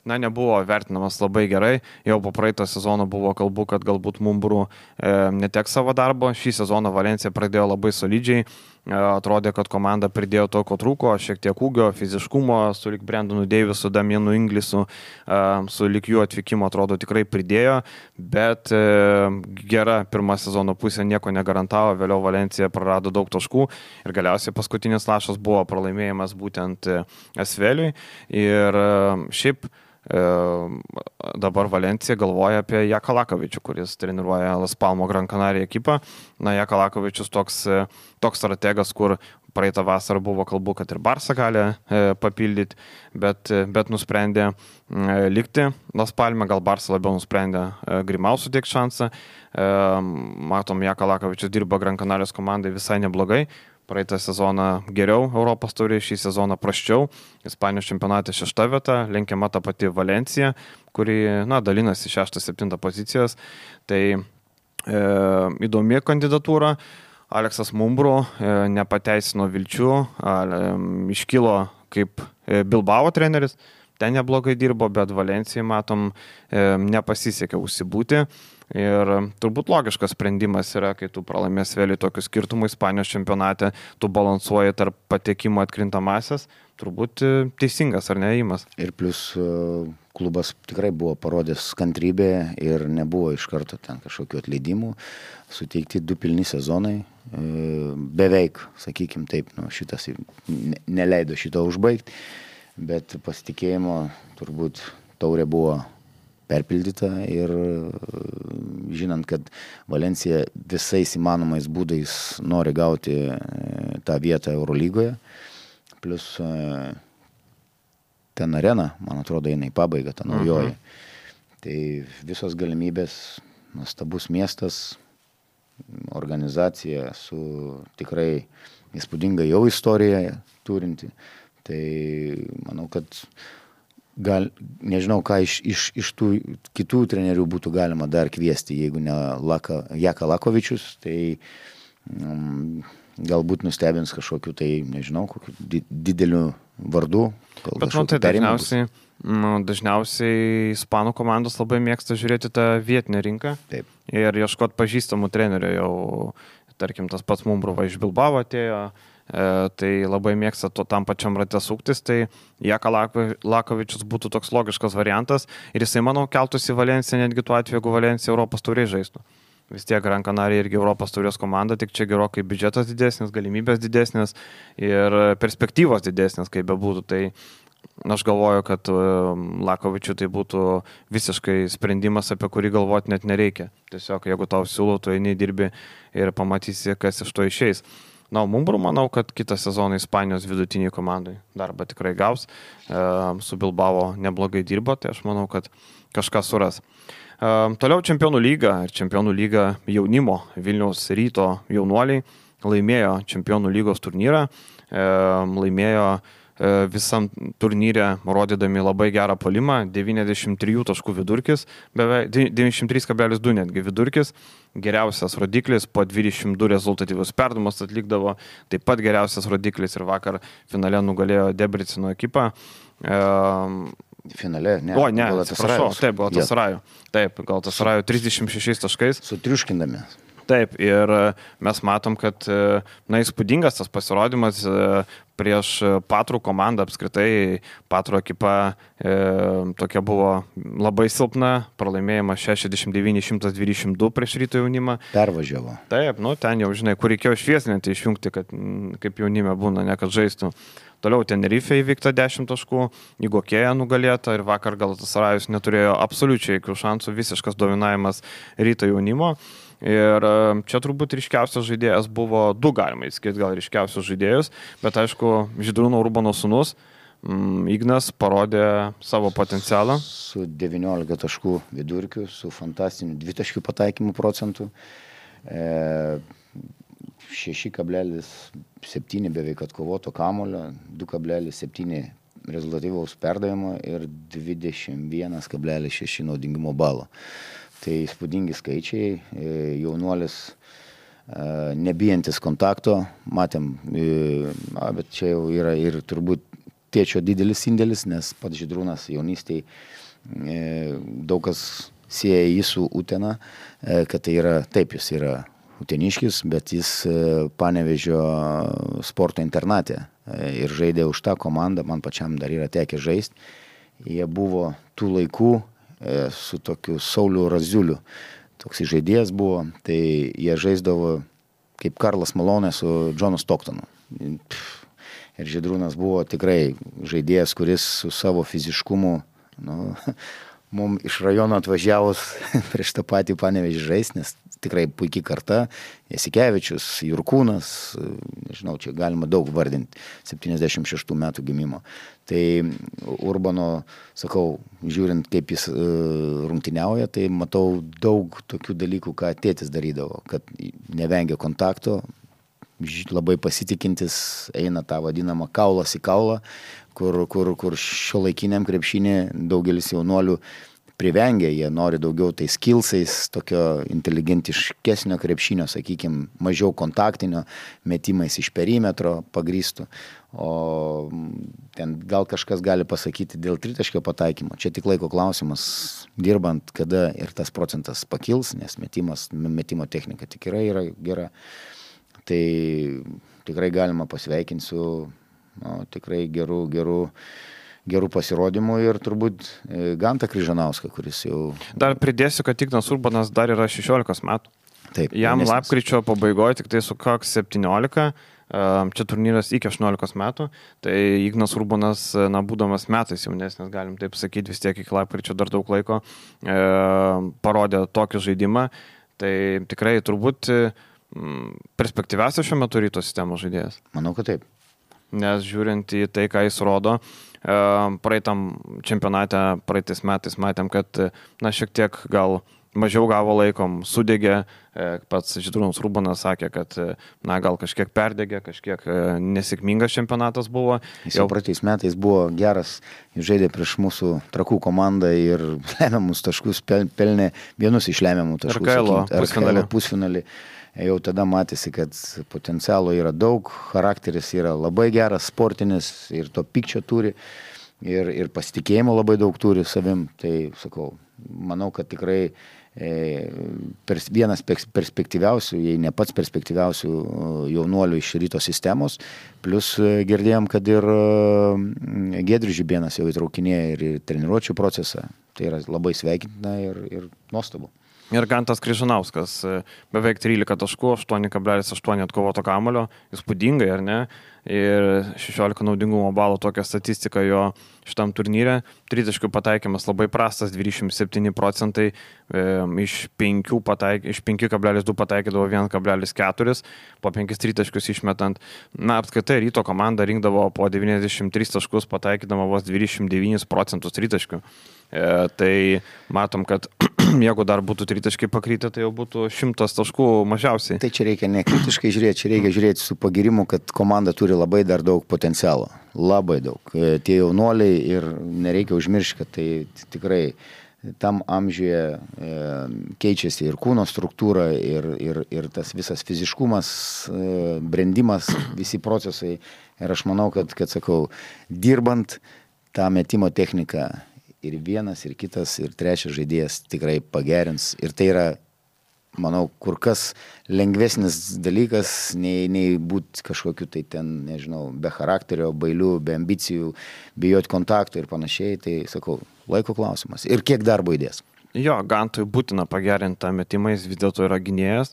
na, nebuvo vertinamas labai gerai. Jau po praeito sezono buvo kalbų, kad galbūt Mumbrų e, neteks savo darbo. Šį sezoną Valencija pradėjo labai solidžiai. Atrodė, kad komanda pridėjo to, ko trūko, šiek tiek ūgio, fiziškumo, su lik Brendonu Deivisu, Damienu Inglisu, su lik jų atvykimo atrodo tikrai pridėjo, bet gera pirma sezono pusė nieko negarantavo, vėliau Valencija prarado daug taškų ir galiausiai paskutinis lašas buvo pralaimėjimas būtent Asveliui ir šiaip dabar Valencija galvoja apie Jaką Lakovičių, kuris treniruoja Las Palmo Gran Canaria ekipą. Na, Jaka Lakovičius toks, toks strategas, kur praeitą vasarą buvo kalbų, kad ir Barsa gali e, papildyti, bet, bet nusprendė e, likti Las Palme, gal Barsa labiau nusprendė e, Grimau suteikti šansą. E, matom, Jaka Lakovičius dirba Gran Canarijos komandai visai neblogai. Praeitą sezoną geriau Europos taurė, šį sezoną prasčiau. Ispanijos čempionate šešta vieta, lenkiama ta pati Valencija, kuri, na, dalinasi šeštą septintą pozicijas. Tai e, įdomi kandidatūra. Aleksas Mumbrų e, nepateisino vilčių, e, iškilo kaip e, Bilbao treneris, ten neblogai dirbo, bet Valencijai, matom, e, nepasisekė užsibūti. Ir turbūt logiškas sprendimas yra, kai tu pralaimės vėliau tokius skirtumų Ispanijos čempionate, tu balansuoji tarp patekimo atkrintamasias, turbūt teisingas ar neįimas. Ir plus klubas tikrai buvo parodęs kantrybę ir nebuvo iš karto ten kažkokių atleidimų, suteikti du pilni sezonai, beveik, sakykim taip, nu, šitas neleido šito užbaigti, bet pasitikėjimo turbūt taurė buvo perpildyta ir žinant, kad Valencija visais įmanomais būdais nori gauti tą vietą Eurolygoje, plus ten arena, man atrodo, eina į pabaigą, ta naujoji. Uh-huh. Tai visos galimybės, nuostabus miestas, organizacija su tikrai įspūdinga jau istorija turinti. Tai manau, kad gal, nežinau, ką iš, iš, iš tų kitų trenerių būtų galima dar kviesti, jeigu ne Laka, Jaka Lakovičius, tai um, galbūt nustebins kažkokiu, tai nežinau, kokiu di, dideliu vardu. Bet man tai dažniausiai, nu, dažniausiai ispanų komandos labai mėgsta žiūrėti tą vietinę rinką. Taip. Ir ieškoti pažįstamų trenerių jau, tarkim, tas pats Mumbrova iš Bilbao atėjo, tai labai mėgsta to tam pačiam rate suktis, tai Jaka Lakovičius būtų toks logiškas variantas ir jisai, manau, keltųsi į Valenciją netgi tuo atveju, jeigu Valencija Europos tauriai žaistų. Vis tiek Gran Canaria irgi Europos taurės komanda, tik čia gerokai biudžetas didesnis, galimybės didesnis ir perspektyvos didesnis, kaip bebūtų. Tai aš galvoju, kad Lakovičiui tai būtų visiškai sprendimas, apie kurį galvoti net nereikia. Tiesiog, jeigu tau siūlau, tu eini dirbi ir pamatysi, kas iš to išeis. Na, Mumbrų manau, kad kitą sezoną Ispanijos vidutiniai komandai darbą tikrai gaus. Su Bilbao neblogai dirbo, tai aš manau, kad kažką suras. Toliau Čempionų lyga ir Čempionų lyga jaunimo Vilniaus Ryto jaunuoliai laimėjo Čempionų lygos turnyrą, laimėjo visam turnyre rodydami labai gerą puolimą, devyniasdešimt trijų taškų vidurkis, beveik devyniasdešimt trys kablelis du netgi vidurkis, geriausias rodiklis, po dvidešimt du rezultatyvus perdavimus atlikdavo, taip pat geriausias rodiklis ir vakar finale nugalėjo Debrecino ekipą. Finale, ne? O, ne, atsiprašau, taip, Galatasaray. Taip, Galatasaray trisdešimt šešiais taškais. Sutriuškindami. Taip, ir mes matom, kad, na, įspūdingas tas pasirodymas prieš Patrų komandą apskritai. Patrų ekipa e, tokia buvo labai silpna, pralaimėjimas šešiasdešimt devyni šimtas dvidešimt du prieš Ryto jaunimą. Pervažiavo. Taip, nu, ten jau, žinai, kur reikėjo švieslinti, išjungti, kad kaip jaunime būna, ne kad žaistų. Toliau Tenerife įvykta dešimt taškų, Igokėja nugalėta ir vakar Galatasarajus neturėjo absoliučiai jokių šansų, visiškas dominavimas Ryto jaunimo. Ir čia turbūt ryškiausias žaidėjas buvo, du galima įskirti gal ryškiausius žaidėjus, bet aišku, Žydrūno Urbano sūnus Ignas parodė savo potencialą. Su devyniolika taškų vidurkiu, su fantastiniu dvitaškių pataikymų procentu. E, šeši kablelis septyni beveik atkovoto kamulio, du kablelis septyni rezultatyvaus perdavimo ir dvidešimt vienas kablelis šeši naudingumo balo. Tai įspūdingi skaičiai, jaunuolis nebijantis kontakto, matėm, bet čia jau yra ir turbūt tėčio didelis indėlis, nes pats Žydrūnas jaunystėje daug kas sieja jį su Utena, kad tai yra, taip, jis yra uteniškis, bet jis Panevėžio sporto internate ir žaidė už tą komandą, man pačiam dar yra tekę žaisti. Jie buvo tų laikų su tokiu Sauliu Raziuliu. Toks žaidėjas buvo, tai jie žaisdavo kaip Karlas Malonė su Johnu Stocktonu. Ir Žydrūnas buvo tikrai žaidėjas, kuris su savo fiziškumu, nu, mums iš rajono atvažiavus prieš tą patį Panevėžį žaisti, nes tikrai puikiai karta, Jasikevičius, Jurkūnas, nežinau, čia galima daug vardinti, septyniasdešimt šeštų metų gimimo. Tai Urbano, sakau, žiūrint, kaip jis rungtyniauja, tai matau daug tokių dalykų, ką tėtis darydavo, kad nevengia kontakto, labai pasitikintis, eina tą vadinamą kaulas į kaulą, kur, kur, kur šiuolaikiniam krepšinį daugelis jaunuolių privengia, jie nori daugiau tai skillsais, tokio inteligentiškesnio krepšinio, sakykime, mažiau kontaktinio, metimais iš perimetro pagrįstų, o ten gal kažkas gali pasakyti dėl tritaškio pataikymo. Čia tik laiko klausimas, dirbant, kada ir tas procentas pakils, nes metimas, metimo technika tikrai yra gera. Tai tikrai galima pasveikinti su nu, tikrai gerų, gerų gerų pasirodymų ir turbūt Gantą Kryžanauską, kuris jau... Dar pridėsiu, kad Ignas Urbanas dar yra šešiolikos metų. Taip. Jam jaunesnis. lapkričio pabaigoje tik tai sukaks septyniolika, čia turnyras iki aštuoniolikos metų, tai Ignas Urbanas, na, būdamas metais jaunesnis, galim taip sakyti, vis tiek iki lapkričio dar daug laiko, e, parodė tokį žaidimą, tai tikrai turbūt perspektyviausias šiuo metu Ryto sistemos žaidėjas. Manau, kad taip. Nes žiūrint į tai, ką jis rodo, praeitam čempionate, praeitais metais matėm, kad, na, šiek tiek gal mažiau gavo laikom, sudegė, pats Žydrūnas Urbanas sakė, kad, na, gal kažkiek perdegė, kažkiek nesėkmingas čempionatas buvo. Jis jau praeitais metais buvo geras, jis žaidė prieš mūsų Trakų komandą ir lemiamus taškus pelnė, vienus iš lemiamų taškų. Arkailo pusfinalį. pusfinalį. Jau tada matėsi, kad potencialo yra daug, charakteris yra labai geras, sportinis ir to pykčio turi ir, ir pasitikėjimo labai daug turi savim. Tai sakau, manau, kad tikrai pers, vienas perspektyviausių, jei ne pats perspektyviausių jaunuolių iš Ryto sistemos, plus girdėjom, kad ir Giedrius Žibėnas jau įtraukinėja ir treniruočių procesą, tai yra labai sveikintina ir, ir nuostabu. Ir Gantas Kryžanauskas, beveik trylika taškų, aštuoni kablelis aštuoni atkovoto kamuolio, įspūdingai, ar ne? Ir šešiolika naudingumo balų tokia statistika jo šitam turnyre. Tritaškių pataikymas labai prastas, dvidešimt septyni procentai, e, iš penki pataik, kablelis du pataikydavo vienas kablelis keturi, po penkis tritaškius išmetant. Na, apskaitai Ryto komanda rinkdavo po devyniasdešimt tris taškus, pataikydama vos dvidešimt devynis procentus tritaškių. E, tai matom, kad jeigu dar būtų tritaškiai pakrytę, tai jau būtų šimtas taškų mažiausiai. Tai čia reikia nekritiškai žiūrėti, čia reikia žiūrėti su pagirimu, kad komanda turi labai dar daug potencialo. Labai daug. Tie jaunuoliai ir nereikia užmiršti, kad tai tikrai tam amžiuje e, keičiasi ir kūno struktūra, ir, ir, ir tas visas fiziškumas, e, brendimas, visi procesai. Ir aš manau, kad, kad sakau, dirbant tą metimo techniką, ir vienas, ir kitas, ir trečias žaidėjas tikrai pagerins. Ir tai yra, manau, kur kas lengvesnis dalykas, nei, nei būti kažkokiu tai ten, nežinau, be charakterio, bailių, be ambicijų, bijoti kontaktų ir panašiai. Tai, sakau, laiko klausimas. Ir kiek darbo įdės? Jo, Gantui būtina pagerinti tą metimą, jis vis dėlto yra gynėjas,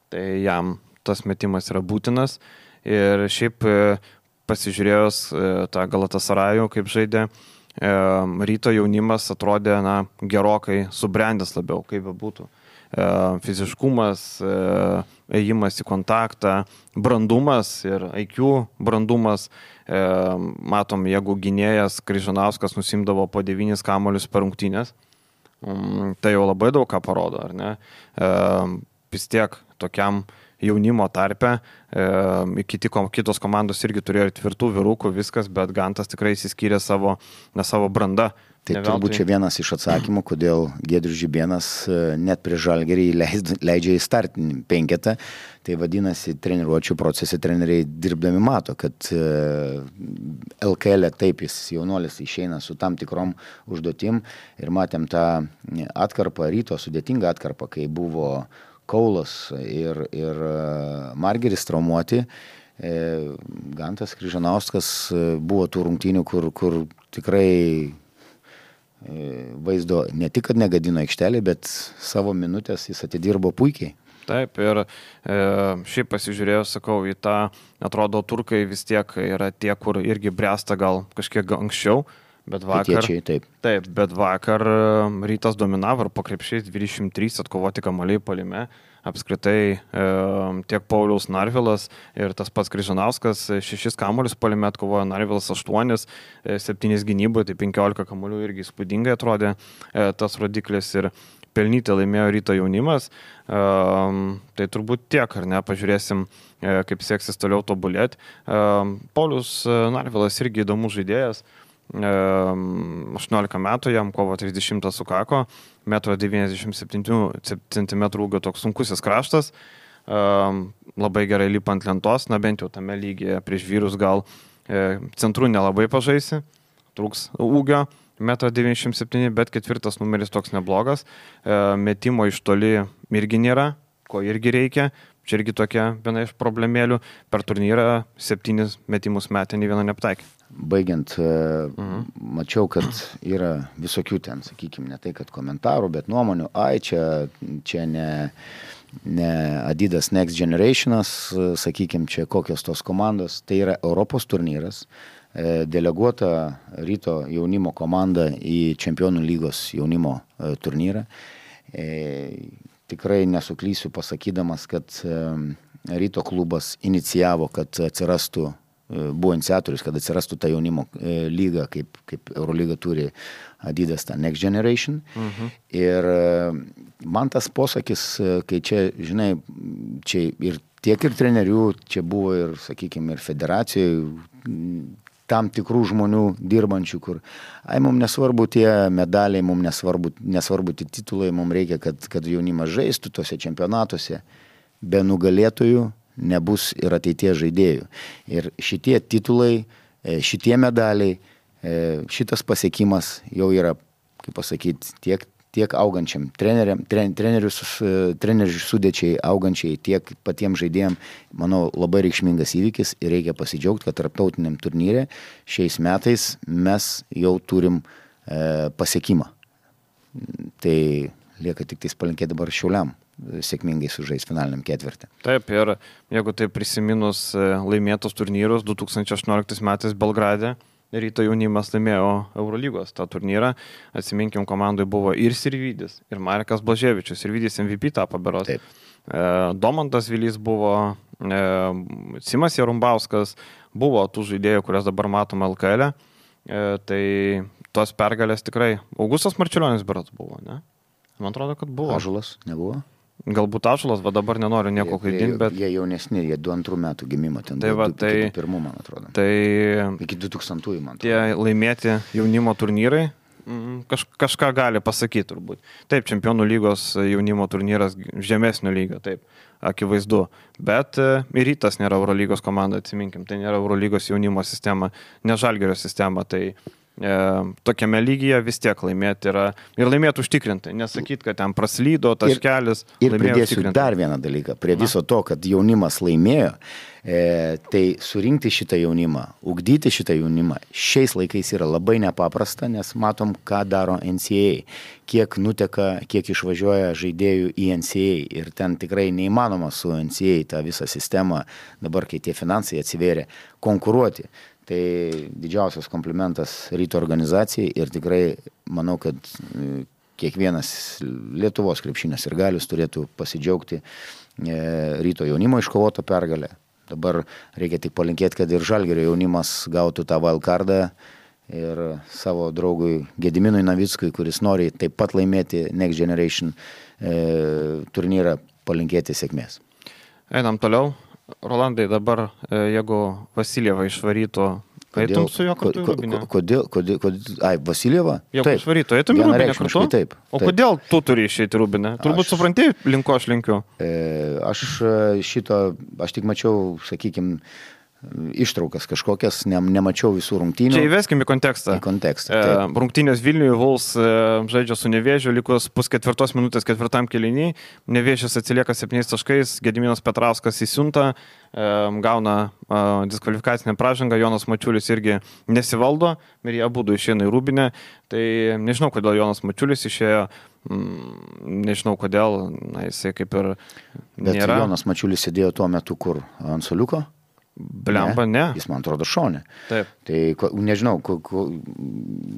tai jam tas metimas yra būtinas. Ir šiaip pasižiūrėjus tą Galatasarajų, kaip žaidė, Ryto jaunimas atrodė, na, gerokai subrendęs labiau, kaip būtų. Fiziškumas, ėjimas į kontaktą, brandumas ir I Q brandumas. Matom, jeigu gynėjas Kryžanauskas nusimdavo po devynis kamuolius per rungtynes, tai jau labai daug ką parodo, ar ne? Vis tiek tokiam jaunimo tarpe, e, kiti, kitos komandos irgi turėjo tvirtų vyrukų, viskas, bet Gantas tikrai įsiskyrė savo, ne savo brandą. Tai turbūt čia vienas iš atsakymų, kodėl Giedrius Žibėnas net prie Žalgirį leidžia į startinį penketą. Tai vadinasi, treniruočių procese treneriai dirbdami mato, kad L K L taip jis jaunuolis išeina su tam tikrom užduotim ir matėm tą atkarpą, Ryto sudėtingą atkarpą, kai buvo Kaulas ir, ir Margeris traumuoti. Gantas Kryžanauskas buvo tų rungtynių, kur, kur tikrai vaizdo ne tik, kad negadino aikštelį, bet savo minutės jis atidirbo puikiai. Taip, ir e, šiaip pasižiūrėjau, sakau, į tą, atrodo, turkai vis tiek yra tie, kur irgi bręsta gal kažkiek anksčiau. Bet vakar, Pitiečiai, taip. taip, bet vakar Rytas dominavo ir po krepšiais dvidešimt trys atkovoti kamuoliai puolime. Apskritai e, tiek Paulius Narvilas ir tas pats Kryžanauskas šešis kamuolius puolime atkovojo, Narvilas aštuonis, septynis gynyboje, tai penkiolika kamuolių irgi įspūdingai atrodė e, tas rodiklis ir pelnytai laimėjo Ryto jaunimas. E, tai turbūt tiek, ar ne, pažiūrėsim, e, kaip seksis toliau tobulėti. E, Paulius Narvilas irgi įdomus žaidėjas. aštuoniolika metų, jam kovo trisdešimtą sukako, metro devyniasdešimt septynių centimetrų ūgio toks sunkusis kraštas, labai gerai lipa ant lentos, na bent jau tame lygyje prieš vyrus gal centrų nelabai pažaisi, trūks ūgio, metro devyniasdešimt septyni, bet ketvirtas numeris toks neblogas, metimo iš toli irgi nėra, ko irgi reikia. Čia irgi tokia viena iš problemėlių. Per turnyrą septynis metimus metė, nei vieno nepataikė. Baigiant, mhm. mačiau, kad yra visokių ten, sakykime, ne tai, kad komentarų, bet nuomonių. Ai, čia, čia ne, ne Adidas Next Generationas, sakykime, čia kokios tos komandos. Tai yra Europos turnyras, deleguota Ryto jaunimo komanda į Čempionų lygos jaunimo turnyrą. Tikrai nesuklysiu pasakydamas, kad Ryto klubas inicijavo, kad atsirastų, buvo iniciatorius, kad atsirastų ta jaunimo lyga, kaip, kaip Eurolyga turi Adidas, ta Next Generation. Mhm. Ir man tas posakis, kai čia, žinai, čia ir tiek ir trenerių, čia buvo ir, sakykime, ir federacijoje, tam tikrų žmonių dirbančių, kur, ai, mums nesvarbu tie medaliai, mums nesvarbu, nesvarbu tie titulai, mums reikia, kad, kad jaunimas žaistų tose čempionatuose, be nugalėtojų nebus ir ateities žaidėjų. Ir šitie titulai, šitie medaliai, šitas pasiekimas jau yra, kaip pasakyti, tiek, tiek augančiam treneriam, tren, trenerių, trenerių sudėčiai augančiai, tiek patiems žaidėjim, manau, labai reikšmingas įvykis ir reikia pasidžiaugti, kad tarptautiniam turnyre šiais metais mes jau turim e, pasiekimą. Tai lieka tik tais palinkėti dabar Šiauliam sėkmingai sužais finaliniam ketvirtį. Taip, ir jeigu tai prisiminus laimėtos turnyrus, du tūkstančiai aštuonioliktais metais Belgrade Ryto jaunimas laimėjo Eurolygos tą turnyrą. Atsiminkim, komandai buvo ir Sirvydis, ir Marekas Blaževičius. Sirvydis M V P tapo berods. E, Domantas Vilys buvo, e, Simas Jarumbauskas, buvo tų žaidėjų, kurias dabar matome L K L. E, tai tos pergalės tikrai. Augustas Marčiulionis berods buvo, ne? Man atrodo, kad buvo. Ąžuolas nebuvo? Galbūt Ąžuolas, va dabar nenoriu nieko klaidinti, bet... Jie jaunesni, jie du antrų metų gimimo, ten tai va, du, tai, du pirmų, man atrodo. Tai... Iki du tūkstantųjų, man atrodo. Tie laimėti jaunimo turnyrai kaž, kažką gali pasakyti turbūt. Taip, Čempionų lygos jaunimo turnyras žemesnio lygio, taip, akivaizdu. Bet ir Rytas nėra Eurolygos komanda, atsiminkim, tai nėra Eurolygos jaunimo sistema, ne Žalgirio sistema, tai... E, tokiame lygyje vis tiek laimėti yra ir laimėti užtikrintai, nesakyti, kad ten praslydo taškelis. Ir, ir pridėsiu dar vieną dalyką, prie viso to, kad jaunimas laimėjo, e, tai surinkti šitą jaunimą, ugdyti šitą jaunimą šiais laikais yra labai nepaprasta, nes matom, ką daro N C A A, kiek nuteka, kiek išvažiuoja žaidėjų į N C A A ir ten tikrai neįmanoma su N C A A tą visą sistemą, dabar kai tie finansai atsivėrė, konkuruoti. Tai didžiausias komplimentas Ryto organizacijai ir tikrai manau, kad kiekvienas Lietuvos krepšinis ir galius turėtų pasidžiaugti Ryto jaunimo iškovotą pergalę. Dabar reikia tik palinkėti, kad ir Žalgirio jaunimas gautų tą wildcardą ir savo draugui Gediminui Navickui, kuris nori taip pat laimėti Next Generation turnyrą, palinkėti sėkmės. Einam toliau. Rolandai, dabar jeigu Vasiljevą išvarytų, eitum su juo kartu į Rūbinę? Kodėl, kodėl, kodėl, ai, Vasiljevą? Jeigu išvarytų, eitum į Rūbinę kartu? Taip. O taip. Kodėl tu turi išeiti į Rūbinę? Turbūt aš, supranti, link ko aš linkiu. E, aš šito, aš tik mačiau, sakykime, ištraukas kažkokias, ne, nemačiau visų rungtynių. Čia įveskim į kontekstą. Į kontekstą. E, rungtynės Vilniuje, Vuls e, žaidžia su Nevėžiu, likus pusketvirtos minutės ketvirtam kėliny. Nevėžis atsilieka septyniais taškais, Gediminas Petrauskas įsiunta, e, gauna e, diskvalifikacinę pražangą, Jonas Mačiulis irgi nesivaldo ir jie abudu išeina į Rūbinę. Tai nežinau, kodėl Jonas Mačiulis išėjo, mm, nežinau kodėl, na, jisai kaip ir nėra. Bet Jonas Mačiulis sėdėjo tuo metu kur? Ant suoliuko? Blemba, ne. Jis, man atrodo, šonė. Taip. Tai, nežinau, ku, ku,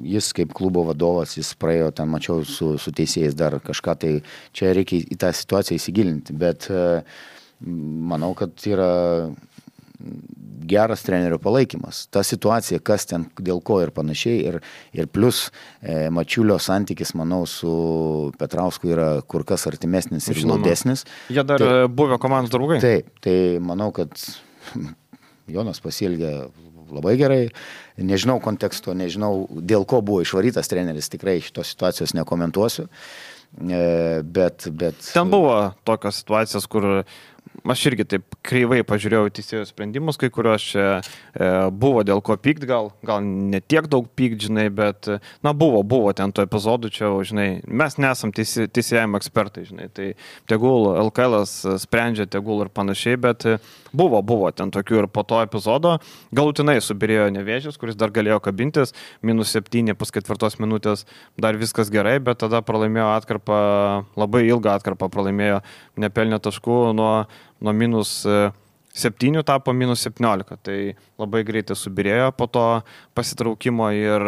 jis kaip klubo vadovas, jis praėjo, ten mačiau su, su teisėjais dar kažką, tai čia reikia į tą situaciją įsigilinti, bet manau, kad yra geras trenerio palaikymas. Ta situacija, kas ten, dėl ko ir panašiai, ir, ir plus e, Mačiulio santykis, manau, su Petrausku yra kur kas artimesnis ir glaudesnis. Jie dar tai, buvę komandos draugai. Taip, tai manau, kad Jonas pasielgė labai gerai, nežinau konteksto, nežinau dėl ko buvo išvarytas treneris, tikrai šitos situacijos nekomentuosiu, bet... bet... Ten buvo tokios situacijos, kur aš irgi taip kreivai pažiūrėjau teisėjų sprendimus, kai kurios čia e, buvo dėl ko pykt, gal, gal ne tiek daug pykt, žinai, bet, na, buvo, buvo ten to epizodų, čia, žinai, mes nesam teisė, teisėjimo ekspertai, žinai, tai tegul L K L sprendžia, tegul ir panašiai, bet buvo, buvo ten tokių ir po to epizodo, galutinai subirėjo Nevėžis, kuris dar galėjo kabintis, minus septyni, pusketvirtos minutės, dar viskas gerai, bet tada pralaimėjo atkarpą, labai ilgą atkarpą pralaimėjo, nepelnė taškų nuo nuo minus septynių tapo minus septyniolika, tai labai greitai subirėjo po to pasitraukimo ir,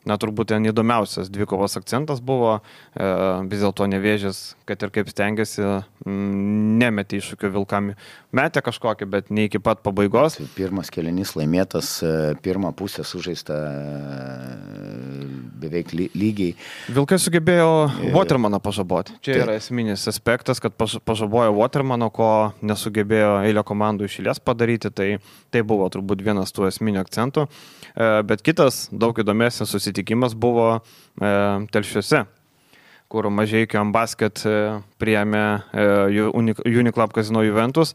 na, turbūt ten įdomiausias dvikovos akcentas buvo, e, vis dėlto Nevėžis, kad ir kaip stengiasi, m, nemetė iššūkio Vilkam, metė kažkokį, bet ne iki pat pabaigos. Pirmas kėlinys laimėtas, pirmą pusę sužaista beveik lygiai. Vilkai sugebėjo Watermaną pažaboti. Čia yra esminis aspektas, kad pažabojo Watermano, ko nesugebėjo eilė komandų iš eilės padaryti, tai, tai buvo turbūt vienas tų esminių akcentų. Bet kitas, daug įdomesnis susitikimas buvo Telšiuose, kur Mažeikio Ambasket priėmė Uniclub Casino Juventus.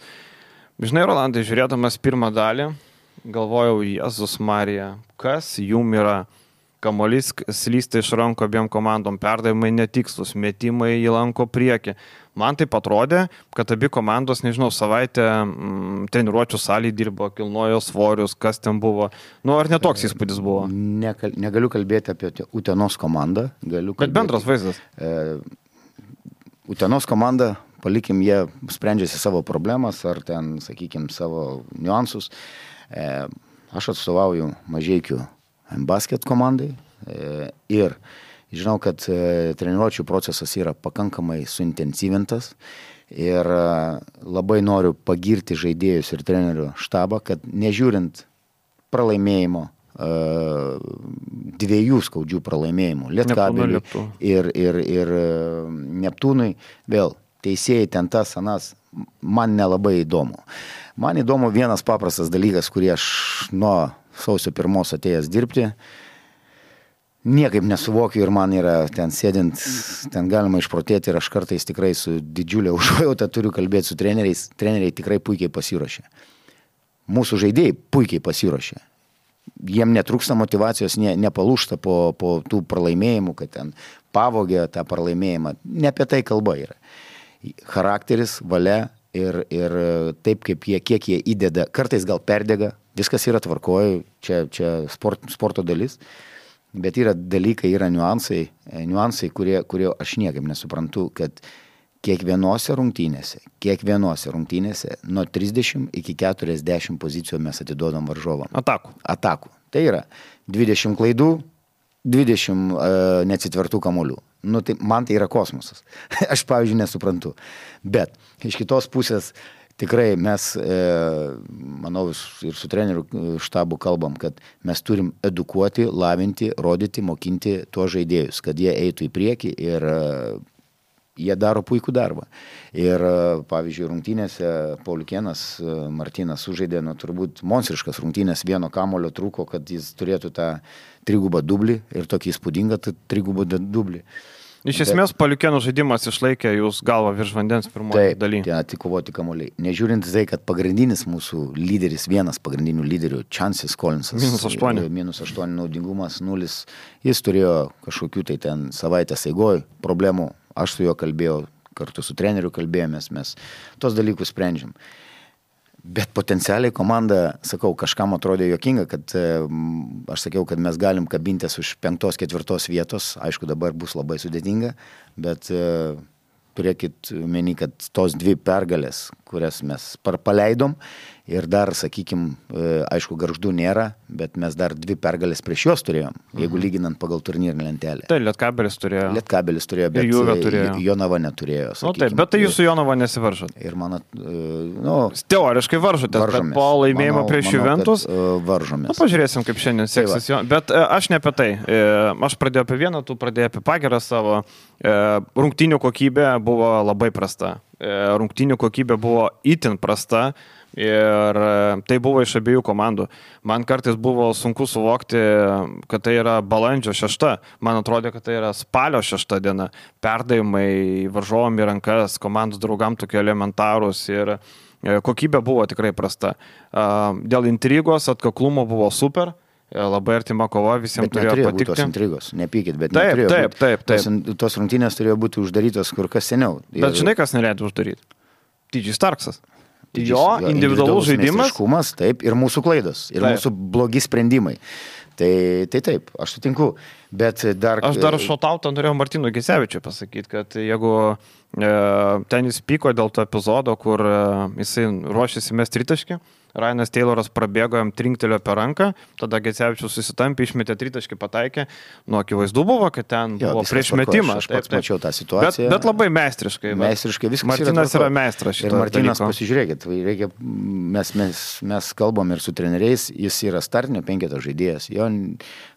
Žinai, Rolandai, žiūrėdamas pirmą dalį, galvojau, Jėzus Marija, kas jum yra? kamuolys slysta iš rankų abiem komandom, perdavimai netikslus, metimai į lanko priekį. Man taip atrodė, kad abi komandos, nežinau, savaitę mm, treniruočių salėje dirbo, kilnojo svorius, kas ten buvo. Nu, ar netoks įspūdis buvo? Nekal, negaliu kalbėti apie Utenos komandą. Galiu kalbėti, bet bendras vaizdas. E, Utenos komanda, palikim, jie sprendžiasi savo problemas ar ten, sakykime, savo niuansus. E, aš atstovauju Mažeikių basket komandai e, ir žinau, kad e, treniruočių procesas yra pakankamai suintensyvintas ir e, labai noriu pagirti žaidėjus ir trenerių štabą, kad nežiūrint pralaimėjimo, e, dviejų skaudžių pralaimėjimų, Lietkabeliui ir, ir, ir Neptūnui, vėl teisėjai ten tas, anas, man nelabai įdomu. Man įdomu vienas paprastas dalykas, kurį aš nuo sausio pirmos atėjęs dirbti, niekaip nesuvokiu ir man yra ten sėdint, ten galima išprotėti ir aš kartais tikrai su didžiulė užuojauta turiu kalbėti su treneriais. Treneriai tikrai puikiai pasiruošė. Mūsų žaidėjai puikiai pasiruošė. Jiem netrūksta motivacijos, ne, nepalūšta po, po tų pralaimėjimų, kad ten pavogė tą pralaimėjimą. Ne apie tai kalba yra. Charakteris, valia ir, ir taip, kaip jie, kiek jie įdeda, kartais gal perdega, viskas yra tvarkoje, čia, čia sport, sporto dalis. Bet yra dalykai, yra niuansai, niuansai kurie, kurie aš niekaip nesuprantu, kad kiekvienose rungtynėse, kiekvienose rungtynėse nuo trisdešimt iki keturiasdešimt pozicijų mes atiduodam varžovam. Atakų. Atakų. Tai yra dvidešimt klaidų, dvidešimt uh, neatsitvertų kamuolių. Nu, tai, man tai yra kosmosas. Aš, pavyzdžiui, nesuprantu. Bet iš kitos pusės tikrai mes, e, manau, ir su trenerių štabu kalbam, kad mes turim edukuoti, lavinti, rodyti, mokinti tuos žaidėjus, kad jie eitų į priekį ir e, jie daro puikų darbą. Ir, e, pavyzdžiui, rungtynėse Pauliukėnas Martynas sužaidė, nu, turbūt monstriškas rungtynės, vieno kamulio trūko, kad jis turėtų tą trigubą dublį ir tokį įspūdingą trigubą dublį. Iš esmės, Pauliukėno žaidimas išlaikė jūs galvą virš vandens pirmoje dalyje. Taip, ten atikovoti kamuoliai. Nežiūrint tai, kad pagrindinis mūsų lyderis, vienas pagrindinių lyderių, Chansis Collinsas, minus aštuoni. Minus aštuoni naudingumas, nulis. Jis turėjo kažkokių tai ten savaitės eigoj problemų. Aš su juo kalbėjau, kartu su treneriu kalbėjomės, mes tos dalykus sprendžiam. Bet potencialiai komanda, sakau, kažkam atrodė juokinga, kad e, aš sakiau, kad mes galim kabintis už penktos, ketvirtos vietos. Aišku, dabar bus labai sudėtinga, bet e, turėkit meni, kad tos dvi pergalės, kurias mes paleidom ir dar, sakykim, e, aišku, Gargždų nėra, bet mes dar dvi pergalės prieš juos turėjom, jeigu mhm. lyginant pagal turnyrinę lentelę. Tai Lietkabelis turėjo. Lietkabelis turėjo, bet turėjo. Jonava neturėjo. Sakykim, nu, taip, bet tai jūs su Jonava nesivaržot. Ir man, nu, teoriškai varžotės, bet po laimėjimo manau, prieš Juventus uh, varžomės. Nu, pažiūrėsim, kaip šiandien seksis. Tai bet uh, aš ne apie tai. Uh, aš pradėjau apie vieną, tu pradėjai apie Pagerą savo. Uh, rungtynių kokybė buvo labai prasta. Uh, rungtynių kokybė buvo itin prasta. Ir tai buvo iš abiejų komandų. Man kartais buvo sunku suvokti, kad tai yra balandžio šešta. Man atrodė, kad tai yra spalio šešta diena. Perdavimai varžovom į rankas, komandos draugam tokie elementarūs ir kokybė buvo tikrai prasta. Dėl intrigos, atkaklumo buvo super. Labai artima kova, visiems bet turėjo patikti. Tos intrigos, nepykit, bet taip, neturėjo taip, taip, taip. Tos, tos rungtynės turėjo būti uždarytos kur kas seniau. Bet ir... žinai, kas neleido uždaryti? T J Starksas. Jo individualus žaidimas. Taip, ir mūsų klaidos, ir taip. Mūsų blogi sprendimai. Tai, tai taip, aš sutinku, bet dar... Aš dar šotautą norėjau Martynui Gecevičiui pasakyti, kad jeigu e, ten jis pyko dėl to epizodo, kur e, jisai ruošėsi mest tritaškį, Ryanas Tayloras prabėgo, jam trinktelio per ranką, tada Gecevičius susitampė, išmetė tritaškį, pataikė. Nu, akivaizdu buvo, kad ten jo, buvo prieš metimą. Aš pats mačiau tą situaciją. Bet, bet labai meistriškai. Meistriškai viskas Martynas yra, yra meistras šito. Ir Martynas, dalyko. Pasižiūrėkit, reikia, mes, mes, mes kalbam ir su treneriais, jis yra startinio penketo žaidėjas. Jo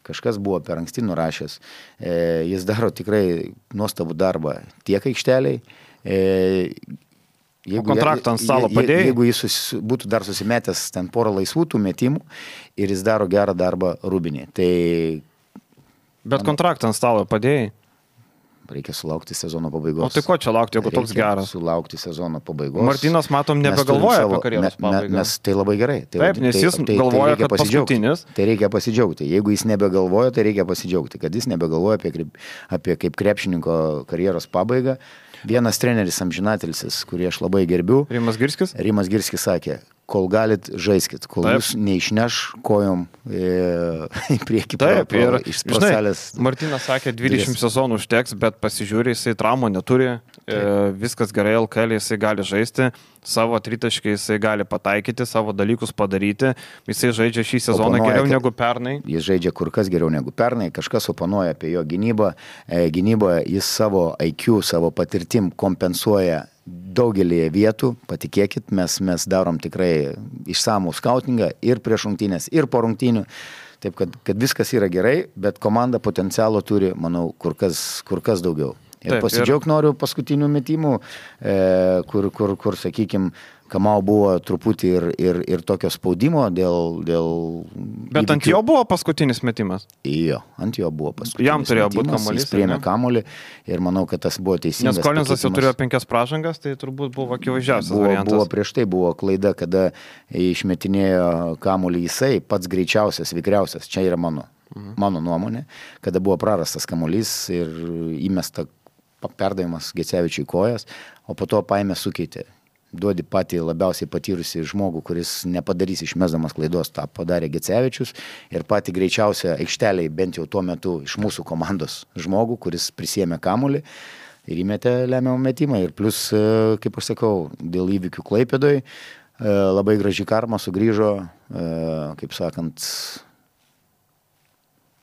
kažkas buvo per anksti nurašęs. E, jis daro tikrai nuostabų darbą tiek aikšteliai. E, Jeigu, o kontraktą ant stalo padėjai? Jeigu jis sus, būtų dar susimetęs ten porą laisvų tų metimų ir jis daro gerą darbą Rūbinį. Tai... Bet kontraktą ant stalo padėjai? reikia sulaukti sezono pabaigos. O tai ko čia laukti, jeigu reikia toks geras? Sulaukti sezono pabaigos. Martynas, matom, nebegalvoja savo, apie karjeros me, pabaigą. Mes tai labai gerai. Tai, Taip, nes tai, jis tai, galvoja, tai kad paskutinis. Tai reikia pasidžiaugti. Jeigu jis nebegalvoja, tai reikia pasidžiaugti. Kad jis nebegalvoja apie, apie kaip krepšininko karjeros pabaigą. Vienas treneris amžinatelsis, kurį aš labai gerbiu. Rimas Girskis? Rimas Girskis sakė, kol galit, žaiskit, kol Taip. Jūs neišneš kojom e, į priekį. Taip, pro, pro, ir iš proselės. Martynas sakė, dvidešimt sezonų užteks, bet pasižiūrė, jisai traumų neturi, e, viskas gerai, L K L jisai gali žaisti, savo tritaškai jisai gali pataikyti, savo dalykus padaryti, jisai žaidžia šį sezoną oponuoja, geriau negu pernai. Jis žaidžia kur kas geriau negu pernai, kažkas oponuoja apie jo gynybą, e, gynyboje jis savo I Q, savo patirtim kompensuoja daugelį vietų, patikėkit, mes, mes darom tikrai išsamų skautingą ir prieš rungtynės, ir po rungtynių. Taip, kad, kad viskas yra gerai, bet komanda potencialo turi, manau, kur kas, kur kas daugiau. Ir Taip, pasidžiaug ir... noriu paskutinių metimų, e, kur, kur, kur sakykime, Kamau buvo truputį ir, ir, ir tokio spaudimo dėl... dėl Bet įvykių. Ant jo buvo paskutinis metimas? Jo, ant jo buvo paskutinis Jam turėjo metimas. Būti kamuolys. Jis priėmė kamuolį ir manau, kad tas buvo teisingas. Nes Kolinsas jau turėjo penkias pražangas, tai turbūt buvo akivaizdžiausias buvo, variantas. Buvo prieš tai buvo klaida, kada išmetinėjo kamuolį jisai, pats greičiausias, vikriausias. Čia yra mano, mhm. mano nuomonė, kada buvo prarastas kamuolys ir įmesta perdavimas Gecevičiui kojas, o po to paėmė sukeitė. Duodi patį labiausiai patyrusi žmogų, kuris nepadarys išmesdamas klaidos, tą padarė Gecevičius ir patį greičiausią aikšteliai, bent jau tuo metu iš mūsų komandos žmogų, kuris prisėmė kamuolį ir įmetė lemiamą metimą. Ir plus, kaip aš sakau, dėl įvykių Klaipėdoj labai graži karma sugrįžo, kaip sakant,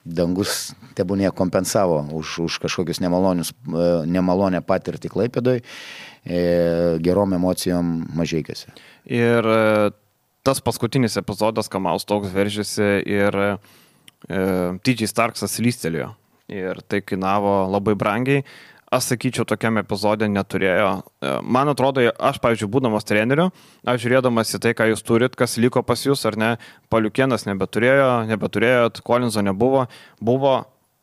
dangus tebūnie kompensavo už, už kažkokius nemalonius, nemalonę patirtį Klaipėdoj, gerom emocijom Mažeikiuose. Ir tas paskutinis epizodas, Kamaus toks veržėsi ir e, T J Starksas lystelėjo. Ir tai kainavo labai brangiai. Aš sakyčiau, tokiam epizodė neturėjo. Man atrodo, aš, pavyzdžiui, būdamas treneriu, aš žiūrėdamas į tai, ką jūs turit, kas liko pas jūs, ar ne, Paliukėnas nebeturėjo, nebeturėjot, Kolinzo nebuvo, buvo,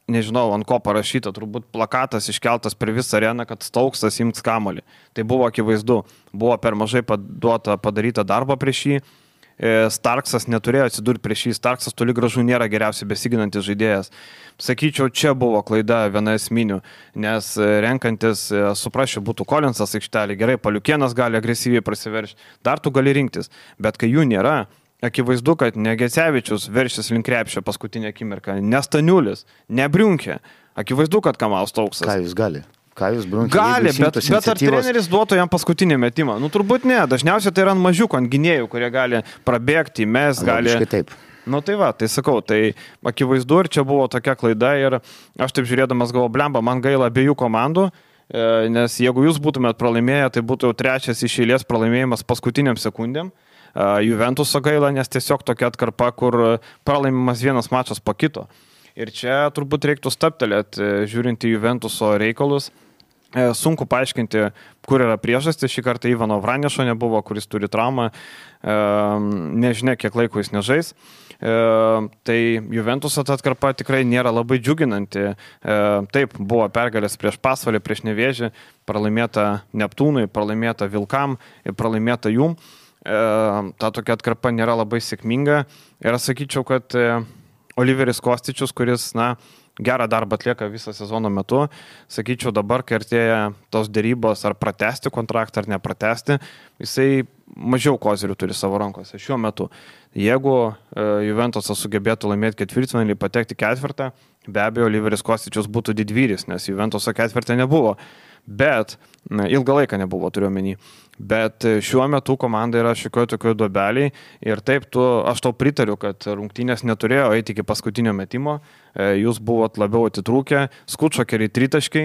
nežinau, ant ko parašyta, turbūt plakatas iškeltas per visą areną, kad Stauksas imks kamuolį. Tai buvo akivaizdu, buvo per mažai paduota, padaryta darbo prieš jį, Starksas neturėjo atsidurti prieš jį, Starksas toli gražu nėra geriausiai besiginantis žaidėjas. Sakyčiau, čia buvo klaida viena esminių, nes renkantis, suprasčiau, būtų Kolinsas aikštelė, gerai, Paliukėnas gali agresyviai prasiveršti, dar tu gali rinktis, bet kai jų nėra, akivaizdu, kad ne Gecevičius veršis link krepšio paskutinę akimirką, ne Staniulis, ne Briunkė, akivaizdu, kad Kamaus Stauksas. Ką jūs gali? Ką jūs Briunkė? Gali, bet, bet ar treneris duotų jam paskutinį metimą? Nu, turbūt ne, dažniausiai tai yra ant mažiukų, ant gynėjų, kurie gali prabėgti, mes gali... Logiškai taip. Nu tai va, tai sakau, tai akivaizdu ir čia buvo tokia klaida ir aš taip žiūrėdamas galvo, blemba, man gaila abiejų komandų, nes jeigu jūs būtumėt pralaimėję, tai būtų jau trečias iš eilės pralaimėjimas paskutiniam sekundėm. Juventuso gaila, nes tiesiog tokia atkarpa, kur pralaimimas vienas mačas po kito. Ir čia turbūt reiktų staptelėti, žiūrint į Juventuso reikalus. Sunku paaiškinti, kur yra priežastis. Šį kartą Ivano Vranešo nebuvo, kuris turi traumą. Nežinia, kiek laiko jis nežais. Tai Juventuso atkarpa tikrai nėra labai džiuginanti. Taip, buvo pergalės prieš Pasvalį, prieš Nevėžį, pralaimėta Neptūnui, pralaimėta Vilkam ir pralaimėta Jum. Ta tokia atkarpa nėra labai sėkminga. Ir aš sakyčiau, kad Oliveris Kostičius, kuris, na, gerą darbą atlieka visą sezono metu, sakyčiau, dabar, kai artėja tos dėrybos, ar pratesti kontraktą, ar nepratesti, jisai mažiau kozirių turi savo rankose šiuo metu. Jeigu Juventusas sugebėtų laimėti ketvirtfinalį, patekti ketvirtą, be abejo, Oliveris Kostičius būtų didvyris, nes Juventuso ketvirtą nebuvo. Bet, na, ilgą laiką nebuvo, turiu omeny. Bet šiuo metu komanda yra šiokioj tokioj duobeliai ir taip, tu, aš tau pritariu, kad rungtynės neturėjo eiti iki paskutinio metimo, jūs buvot labiau atitrūkę, Skučokeriai tritaškai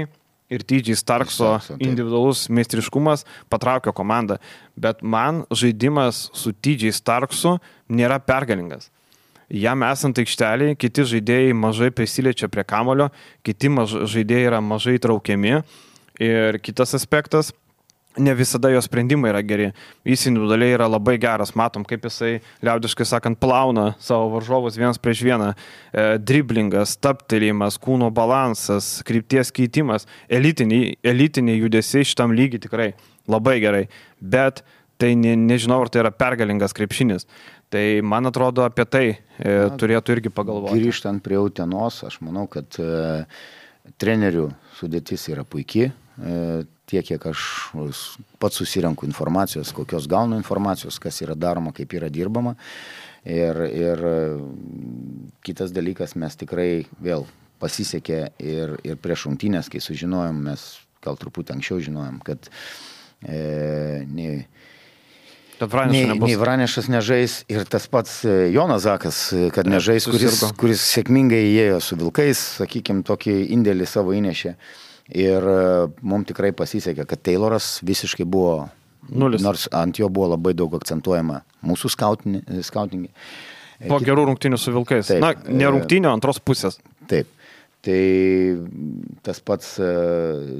ir T J Starkso individualus meistriškumas patraukė komandą. Bet man žaidimas su T J Starksu nėra pergalingas. Jam esant aikšteliai, kiti žaidėjai mažai prisiliečia prie kamulio, kiti maž, žaidėjai yra mažai traukiami. Ir kitas aspektas, ne visada jo sprendimai yra geri. Jis individualiai yra labai geras, matom, kaip jisai, liaudiškai sakant, plauna savo varžovus vienas prieš vieną. E, driblingas, taptelėjimas, kūno balansas, krypties keitimas, elitiniai, elitiniai judesiai šitam lygiai tikrai labai gerai. Bet tai ne, nežinau, ar tai yra pergalingas krepšinis. Tai man atrodo apie tai e, Na, turėtų irgi pagalvoti. Grįžtant prie Utenos, aš manau, kad e, trenerių sudėtis yra puikiai. E, tiek, kiek aš pats susirenku informacijos, kokios gaunu informacijos, kas yra daroma, kaip yra dirbama. Ir, ir kitas dalykas, mes tikrai vėl pasisekė ir, ir prieš rungtynes, kai sužinojom, mes gal truputį anksčiau žinojom, kad e, nei, nei, nei Vranešas nežais ir tas pats Jonas Zakas, kad nežais, kuris, kuris sėkmingai įėjo su Vilkais, sakykime, tokį indėlį savo įnešė. Ir mums tikrai pasisekė, kad Tayloras visiškai buvo nulis. Nors ant jo buvo labai daug akcentuojama mūsų skautingi. Po gerų rungtynių su Vilkais. Taip, Na, ne rungtynių, antros pusės. Taip. Tai tas pats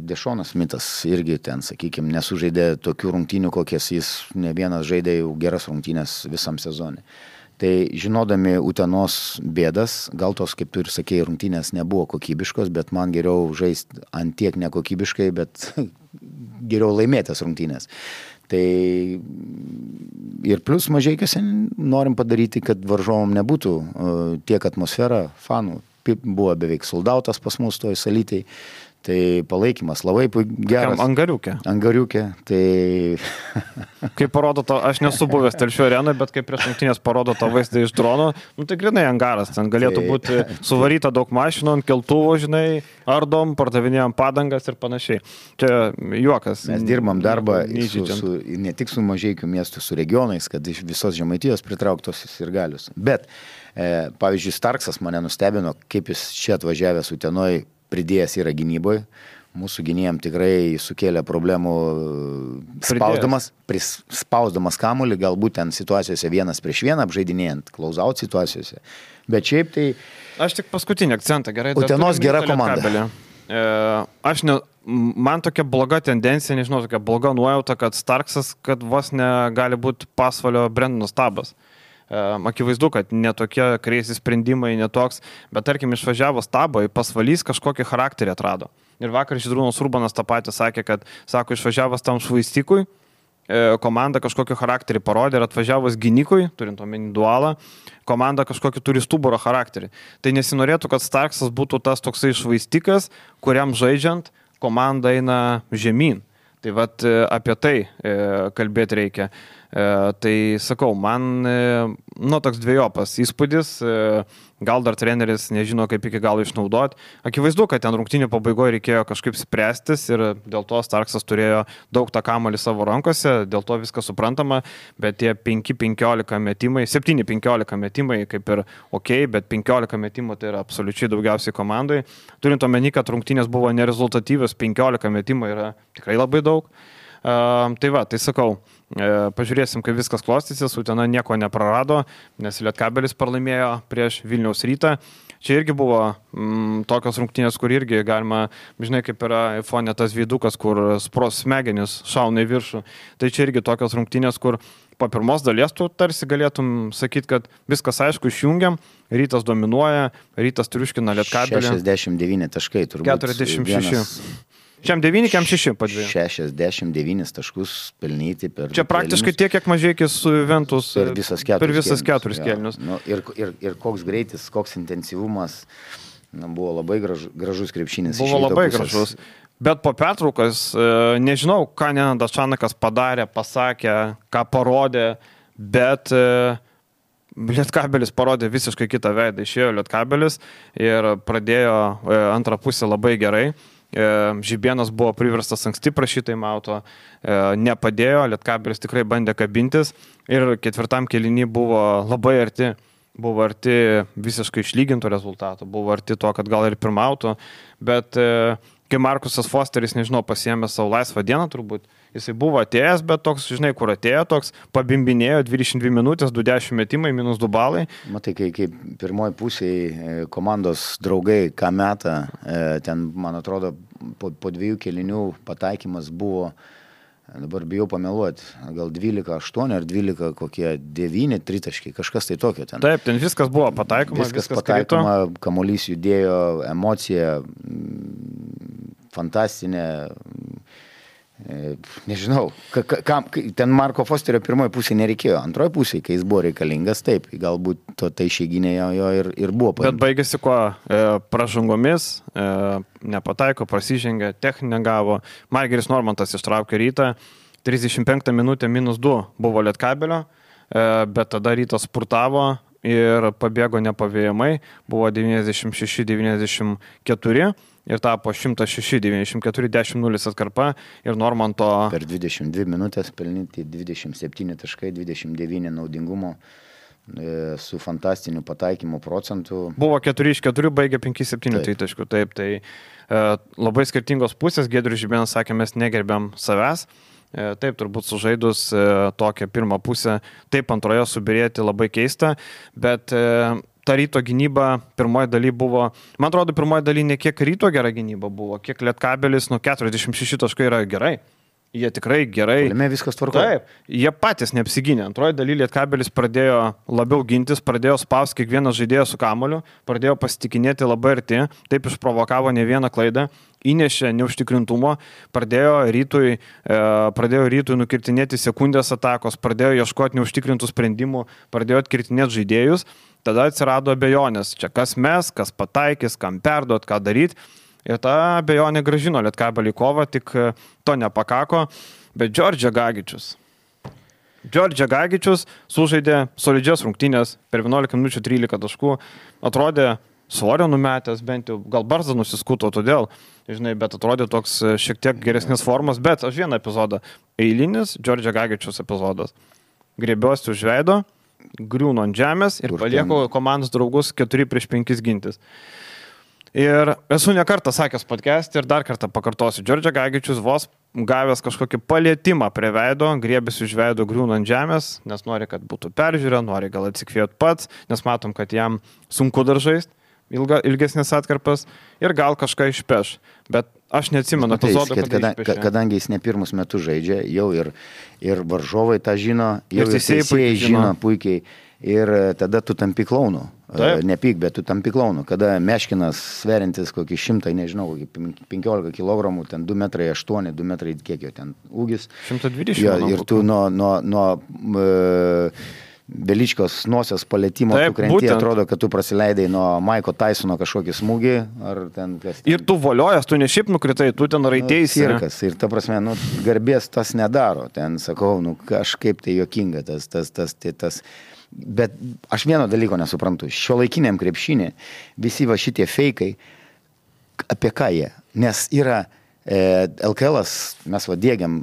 Dešonas Mitas irgi ten, sakykime, nesužaidė tokių rungtynių, kokias jis ne vienas žaidė jau geras rungtynės visam sezonui. Tai žinodami Utenos bėdas, gal tos, kaip tu ir sakėjai, rungtynės nebuvo kokybiškos, bet man geriau žaisti ant tiek nekokybiškai, bet geriau laimėtas rungtynės. Tai ir plus Mažeikiuose norim padaryti, kad varžovom nebūtų tiek atmosfera, fanų. Buvo beveik soldautas pas mus toj salytei. Tai palaikymas labai geras. Angariukė. Angariukė, tai... Kaip parodo to, aš nesu buvęs Telšių arenoje, bet kaip prieš rungtynes parodo to vaizdą iš drono, nu tai grinai angaras, ten galėtų tai... būti suvaryta daug mašinų, ant keltuvo, žinai, ardom, pardavinėjom padangas ir panašiai. Čia juokas. Mes dirbam darbą su, su, ne tik su Mažeikių miestu, su regionais, kad iš visos Žemaitijos pritrauktos ir galius. Bet, e, pavyzdžiui, Starksas mane nustebino, kaip jis čia atvažiavęs Utenoj pridėjęs yra gynyboje. Mūsų gynėjam tikrai sukėlė problemų spausdamas, pris, spausdamas kamuolį, galbūt ten situacijose vienas prieš vieną, apžaidinėjant, close-out situacijose. Bet šiaip tai... Aš tik paskutinį akcentą, gerai. Utenos gera komanda. E, aš ne, man tokia bloga tendencija, nežinau, tokia bloga nuojauta, kad Starksas, kad vos negali būti pasvalio Brendonas Tabas. Akivaizdu, kad netokie kreisi sprendimai, netoks, bet tarkim išvažiavo Stabą, pasvalys kažkokį charakterį atrado. Ir vakar Žydrūnas Urbanas tą patį sakė, kad, sako, išvažiavęs tam švaistikui, komanda kažkokį charakterį parodė ir atvažiavęs gynykui, turint omeny dualą, komanda kažkokį turi stuburo charakterį. Tai nesinorėtų, kad Starksas būtų tas toksai švaistikas, kuriam žaidžiant komanda eina žemyn. Tai vat apie tai kalbėti reikia. E, tai sakau, man e, nu, toks dviejopas įspūdis, e, gal dar treneris nežino, kaip iki galo išnaudoti. Akivaizdu, kad ten rungtynių pabaigoje reikėjo kažkaip spręstis ir dėl to Starksas turėjo daug tą kamuolį savo rankose, dėl to viskas suprantama, bet tie penki penkiolika metimai, septyni penkiolika metimai kaip ir ok, bet penkiolika metimų tai yra absoliučiai daugiausiai komandai. Turint omeny, kad rungtynės buvo nerezultatyvios, penkiolika metimų yra tikrai labai daug. Uh, tai va, tai sakau, uh, pažiūrėsim, kaip viskas klostysis, Utena nieko neprarado, nes Lietkabelis pralaimėjo prieš Vilniaus Rytą. Čia irgi buvo mm, tokios rungtynės, kur irgi galima, žinai, kaip yra iPhone tas veidukas, kur spros smegenis šauna į viršų. Tai čia irgi tokios rungtynės, kur po pirmos dalies tu tarsi galėtum sakyti, kad viskas aišku, išjungiam, Rytas dominuoja, Rytas triuškina Lietkabelį. šešiasdešimt devyni taškai turbūt. keturiasdešimt šeši. Šiam devyni, kiam šeši padvėjų. šešiasdešimt devynis taškus pelnyti per... Čia praktiškai tiek, kiek Mažeikis su Juventus per visas keturis, per visas keturis kėlinius. Nu, ir, ir, ir koks greitis, koks intensyvumas, nu, buvo labai gražu, gražus krepšinis. Buvo labai pusės. Gražus. Bet po pertraukos, nežinau, ką Nenadas Čanakas padarė, pasakė, ką parodė, bet Lietkabelis parodė visiškai kitą veidą. Išėjo Lietkabelis ir pradėjo antrą pusę labai gerai. Žibienas buvo priverstas anksti prašytai mauto, nepadėjo, Lietkabelis tikrai bandė kabintis ir ketvirtam kėlinį buvo labai arti, buvo arti visiškai išlyginto rezultato, buvo arti to, kad gal ir pirmauto, bet kai Markusas Fosteris, nežinau, pasiėmė savo laisvą dieną turbūt, jisai buvo atėjęs, bet toks, žinai, kur atėjo, toks pabimbinėjo, dvidešimt dvi minutės, du dešimt metimai, minus du balai. Matai, kai, kai pirmoji pusėje komandos draugai, ką meta, ten, man atrodo, po, po dviejų kėlinių pataikymas buvo dabar bijau pameluoti, gal dvylika aštuoni ar dvylika kokie devyni tritaškiai, kažkas tai tokio ten. Taip, ten viskas buvo pataikoma, viskas, viskas pataikoma, kamuolys judėjo, emocija fantastinė. Nežinau, ka, ka, ten Marko Fosterio pirmoji pusė nereikėjo, antroji pusė, kai jis buvo reikalingas, taip, galbūt to tai išeiginė jo, jo ir, ir buvo paimta. Bet baigėsi kuo? E, pražangomis, e, nepataiko, prasižengė, techninę gavo, Margeris Normantas ištraukė Rytą, trisdešimt penktą minutę minus du buvo Lietkabelio, e, bet tada Rytas spurtavo ir pabėgo nepavėjamai, buvo devyniasdešimt šeši devyniasdešimt keturi. Ir tapo šimtas šeši devyniasdešimt keturi dešimt nulis atkarpa ir Normanto... Per dvidešimt dvi minutės pelnyti dvidešimt septyni taškai, dvidešimt devyni naudingumo su fantastiniu pataikymu procentu. Buvo keturi iš keturių, baigė penki septyni taškų. Taip, tai e, labai skirtingos pusės. Giedrius Žibėnas sakė, mes negerbiam savęs. E, taip, turbūt sužaidus e, tokią pirmą pusę, taip antroje subirėti labai keista, bet... E, ta Ryto gynyba pirmoji daly buvo, man atrodo, pirmoji daly ne kiek Ryto gera gynyba buvo, kiek Lietkabelis, nu keturiasdešimt šeši taškai yra gerai. Jie tikrai gerai. Puolime viskas tvarkoja. Taip, jie patys neapsigynė. Antroji daly Lietkabelis pradėjo labiau gintis, pradėjo spausti kiekvieną žaidėją su kamuoliu, pradėjo pasitikinėti labai arti, taip išprovokavo ne vieną klaidą, įnešė neužtikrintumo, pradėjo Rytui, e, pradėjo Rytui nukirtinėti sekundės atakos, pradėjo ieškoti neužtikrintų sprendimų, pradėjo atkirtinėti žaidėjus. Tada atsirado abejonės, čia kas mes, kas pataikys, kam perduot, ką daryti. Ir ta abejonė gražino Lietkabelį kovą, tik to nepakako. Bet Džordžia Gagičius. Džordžia Gagičius sužaidė solidžias rungtynės per vienuolika minučių trylika taškų. Atrodė svorio numetęs, bent jau gal barzdą nusiskuto todėl, žinai, bet atrodė toks šiek tiek geresnės formos. Bet aš vieną epizodą, eilinis Džordžia Gagičius epizodas. Griebiuosi už veido, griūnu ant žemės ir palieku komandos draugus keturi prieš penkis gintis. Ir esu ne kartą sakęs podcast ir dar kartą pakartosiu. Džordžia Gagičius vos gavęs kažkokį palietimą prie veido, griebėsi už veido, griūnu ant žemės, nes nori, kad būtų peržiūrė, nori gal atsikvėti pats, nes matom, kad jam sunku dar žaisti ilga, ilgesnės atkarpas ir gal kažką išpeš. Bet aš neatsimenu epizodą, kad kada, išpešė. Kadangi jis ne pirmus metus žaidžia, jau ir, ir varžovai tą žino, jau ir teisėjai žino puikiai. Ir tada tu tampi klaunu. Taip. Nepyk, bet tu tampi klaunu. Kada Meškinas sverintis kokį šimtą, nežinau, kokį penkiolika kilogramų, ten du metrai aštuoni, du metrai kiek jo ten ūgis. šimtas dvidešimt. Jo, ir tu nuo... nuo, nuo e, Beličkos nosios palietimo, tu krenti, atrodo, kad tu prasileidai nuo Maiko Tysono kažkokį smūgį, ar ten kas. Ir tu voliojas, tu ne šiaip nukritai, tu ten raitėsi. Nu, cirkas, ir ta prasme, nu, garbės tas nedaro, ten sakau, nu, kažkaip tai juokinga tas, tas, tas, tas, tas. Bet aš vieno dalyko nesuprantu, šiuolaikiniam krepšinį visi va šitie feikai, apie ką jie, nes yra L K L-as, mes va dėgiam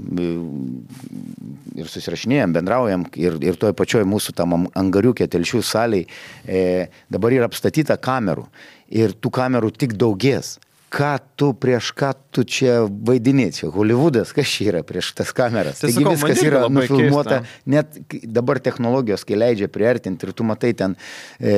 ir susirašinėjom, bendraujam ir, ir toj pačioj mūsų tam angariukė telšių saliai e, dabar yra apstatyta kamerų ir tų kamerų tik daugės. Ką tu prieš ką tu čia vaidini, čia Hollywoodas, kas čia yra prieš tas kameras. Tai Taigi sakau, viskas yra nufilmuota, keista. Net dabar technologijos, kai leidžia priartinti ir tu matai ten, e,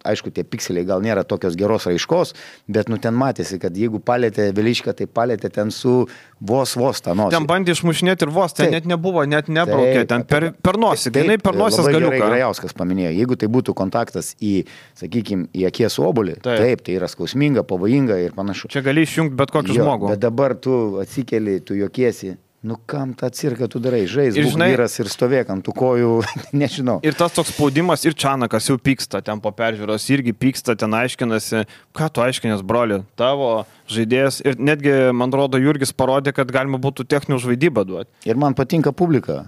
aišku, tie pikseliai gal nėra tokios geros raiškos, bet nu ten matėsi, kad jeigu palėtė Veličką, tai palėtė ten su vos vos tą nosį. Ten bandė išmušinėti ir vos, ten taip, net nebuvo, net nebraukė, ten per, per nosį, jinai per nosės galiuką. Labai gerai Grajauskas paminėjo, jeigu tai būtų kontaktas į, sakykime, į akies obuolį, taip. taip, tai yra skausminga, pavojinga ir panašu. Čia gali išjungti bet kokį jo, žmogų. Bet dabar tu atsikeli, tu juokiesi. Nu kam tą cirką tu darai? Žais, būk vyras ir stovėk ant tų kojų, nežinau. Ir tas toks spaudimas, ir Čanakas jau pyksta ten po peržiūros, irgi pyksta, ten aiškinasi, ką tu aiškinės, broli, tavo žaidėjas. Ir netgi, man rodo, Jurgis parodė, kad galima būtų techninį žvaidybą duoti. Ir man patinka publika.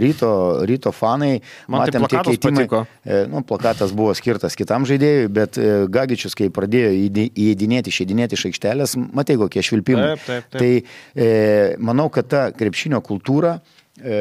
Ryto, ryto fanai, man matėm tai tie keitimai. Nu, plakatas buvo skirtas kitam žaidėjui, bet Gagičius, kai pradėjo įeidinėti, išeidinėti iš aikštelės, matei kokie švilpimai. Taip, taip, taip. Tai e, manau, kad ta krepšinio kultūra, e,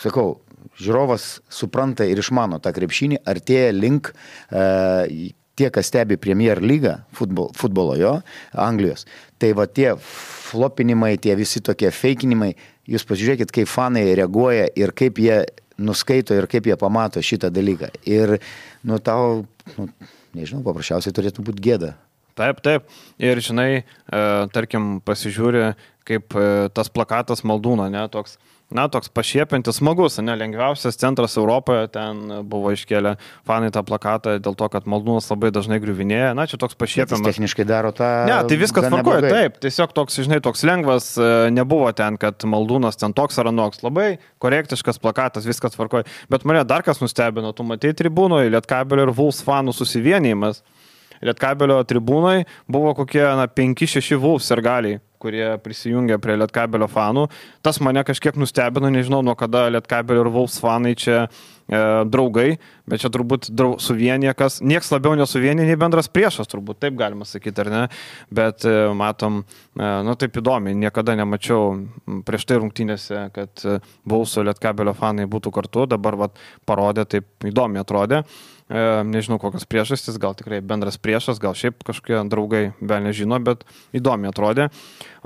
sakau, žiūrovas supranta ir išmano tą krepšinį, artėja link e, tie, kas stebi Premier lygą, futbol, futbolo jo, Anglijos. Tai va tie flopinimai, tie visi tokie feikinimai, jūs pasižiūrėkit, kaip fanai reaguoja ir kaip jie nuskaito ir kaip jie pamato šitą dalyką. Ir, nu, tau, nu, nežinau, paprasčiausiai turėtų būti gėda. Taip, taip. Ir žinai, e, tarkim, pasižiūri kaip tas plakatas Maldūno, ne, toks, na, toks pašiepiantis, smagus, ne, lengviausias centras Europoje, ten buvo iškėlę fanai tą plakatą dėl to, kad Maldūnas labai dažnai griuvinėja, na, čia toks pašiepiamas. Jis techniškai daro tą... Ne, tai viskas tvarkoja, taip, tiesiog toks, žinai, toks lengvas, nebuvo ten, kad Maldūnas ten toks ar anoks, labai korektiškas plakatas, viskas tvarkoja, bet mane dar kas nustebino, tu matei tribūnoje, Lietkabelio ir Vulfs fanų susivienijimas. Lietkabelio tribūnai buvo kokie na, penki šeši Vulfs sirgaliai, kurie prisijungė prie Lietkabelio fanų. Tas mane kažkiek nustebino, nežinau, nuo kada Lietkabelio ir Vulfs fanai čia e, draugai, bet čia turbūt drau, suvienyje, kas nieks labiau nesuvienyje, nei bendras priešas, turbūt taip galima sakyti, ar ne, bet e, matom, e, nu taip įdomi, niekada nemačiau prieš tai rungtynėse, kad e, Vulfso Lietkabelio fanai būtų kartu, dabar vat, parodė, taip įdomi atrodė. Nežinau, kokios priežastys, gal tikrai bendras priešas, gal šiaip kažkokie draugai vėl nežino, bet įdomiai atrodė.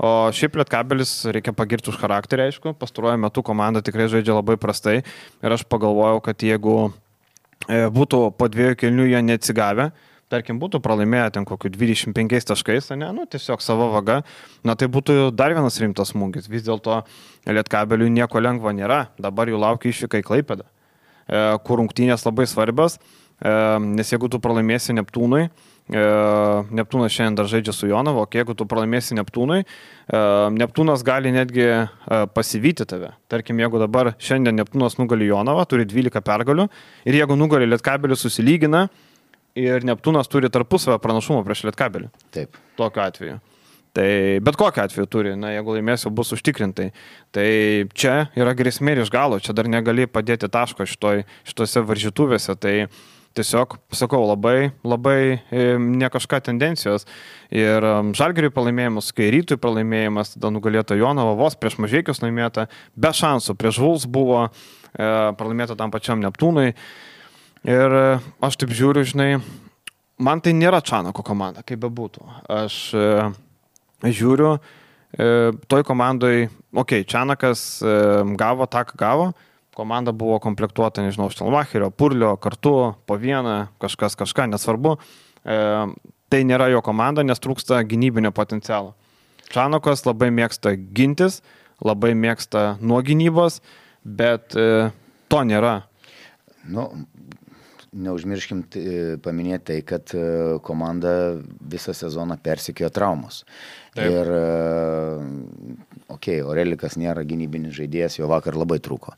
O šiaip Lietkabelis reikia pagirti už charakterį, aišku, pastaruoju metu komanda tikrai žaidžia labai prastai ir aš pagalvojau, kad jeigu būtų po dviejų kėlinių jie neatsigavę, tarkim, būtų pralaimėję ten kokiu dvidešimt penkiais taškais, ne, nu, tiesiog savo vaga, na, tai būtų dar vienas rimtas smūgis. Vis dėlto Lietkabeliui nieko lengvo nėra, dabar jų laukia išvyka į Klaipėdą, kur rungtynės labai svarbios. Nes jeigu tu pralaimėsi Neptūnui, Neptūnas šiandien dar žaidžia su Jonava, o jeigu tu pralaimėsi Neptūnui, Neptūnas gali netgi pasivyti tave. Tarkim, jeigu dabar šiandien Neptūnas nugali Jonavą, turi dvylika pergalių ir jeigu nugali Lietkabelį susilygina ir Neptūnas turi tarpusavio pranašumą prieš Lietkabelį. Taip. Tokiu atveju. Tai bet kokiu atveju turi, na, jeigu laimėsiu, bus užtikrintai. Tai čia yra grėsmė ir iš galo, čia dar negali padėti taško šitoj, šitose varžytuvėse. Tai tiesiog, sakau, labai, labai ne kažką tendencijos. Ir Žalgiriui pralaimėjimas, kai Rytui pralaimėjimas, tada nugalėta Jonava, vos prieš Mažeikius laimėta, be šansų, prieš Vulfs buvo e, pralaimėta tam pačiam Neptūnui. Ir aš taip žiūriu, žinai, man tai nėra Čanako komanda, kaip bebūtų. Aš e, žiūriu, e, toj komandai, okei, okay, Čanakas e, gavo tą, ką gavo, komanda buvo komplektuota, nežinau, Štelmacherio, Purlio, kartu, po vieną, kažkas kažką, nesvarbu. E, tai nėra jo komanda, nes trūksta gynybinio potencialo. Čanakas labai mėgsta gintis, labai mėgsta nuo gynybos, bet e, to nėra. Nu, neužmirškim paminėti tai, kad komanda visą sezoną persekiojo traumos. Taip. Ir, okei, okay, Orelikas nėra gynybinis žaidėjas, jo vakar labai trūko.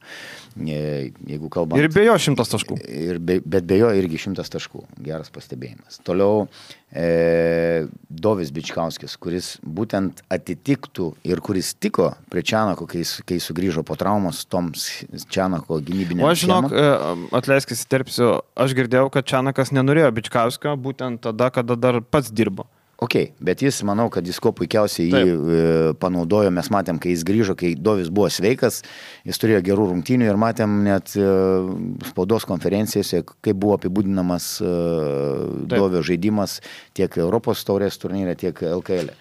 Jeigu kalbant... Ir be jo šimtas taškų. Ir be, bet be jo irgi šimtas taškų. Geras pastebėjimas. Toliau e, Dovis Bičkauskis, kuris būtent atitiktų ir kuris tiko prie Čanako, kai, kai sugrįžo po traumos toms Čanako gynybinėms. O aš žinok, atleiskis įterpsiu, aš girdėjau, kad Čanakas nenorėjo Bičkauskio būtent tada, kada dar pats dirbo. Ok, bet jis, manau, kad jis kuo puikiausiai jį e, panaudojo, mes matėm, kai jis grįžo, kai Dovis buvo sveikas, jis turėjo gerų rungtynių ir matėm net e, spaudos konferencijose, kaip buvo apibūdinamas e, Dovio žaidimas tiek Europos taurės turnyre, tiek L K L.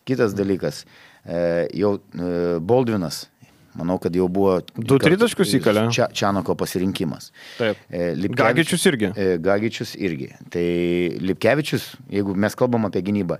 Kitas dalykas, e, jau e, Boldvinas, manau, kad jau buvo... Du tritaškus įkalė. Čia, Čanako pasirinkimas. Taip. Gagičius irgi. Gagičius irgi. Tai Lipkevičius, jeigu mes kalbam apie gynybą,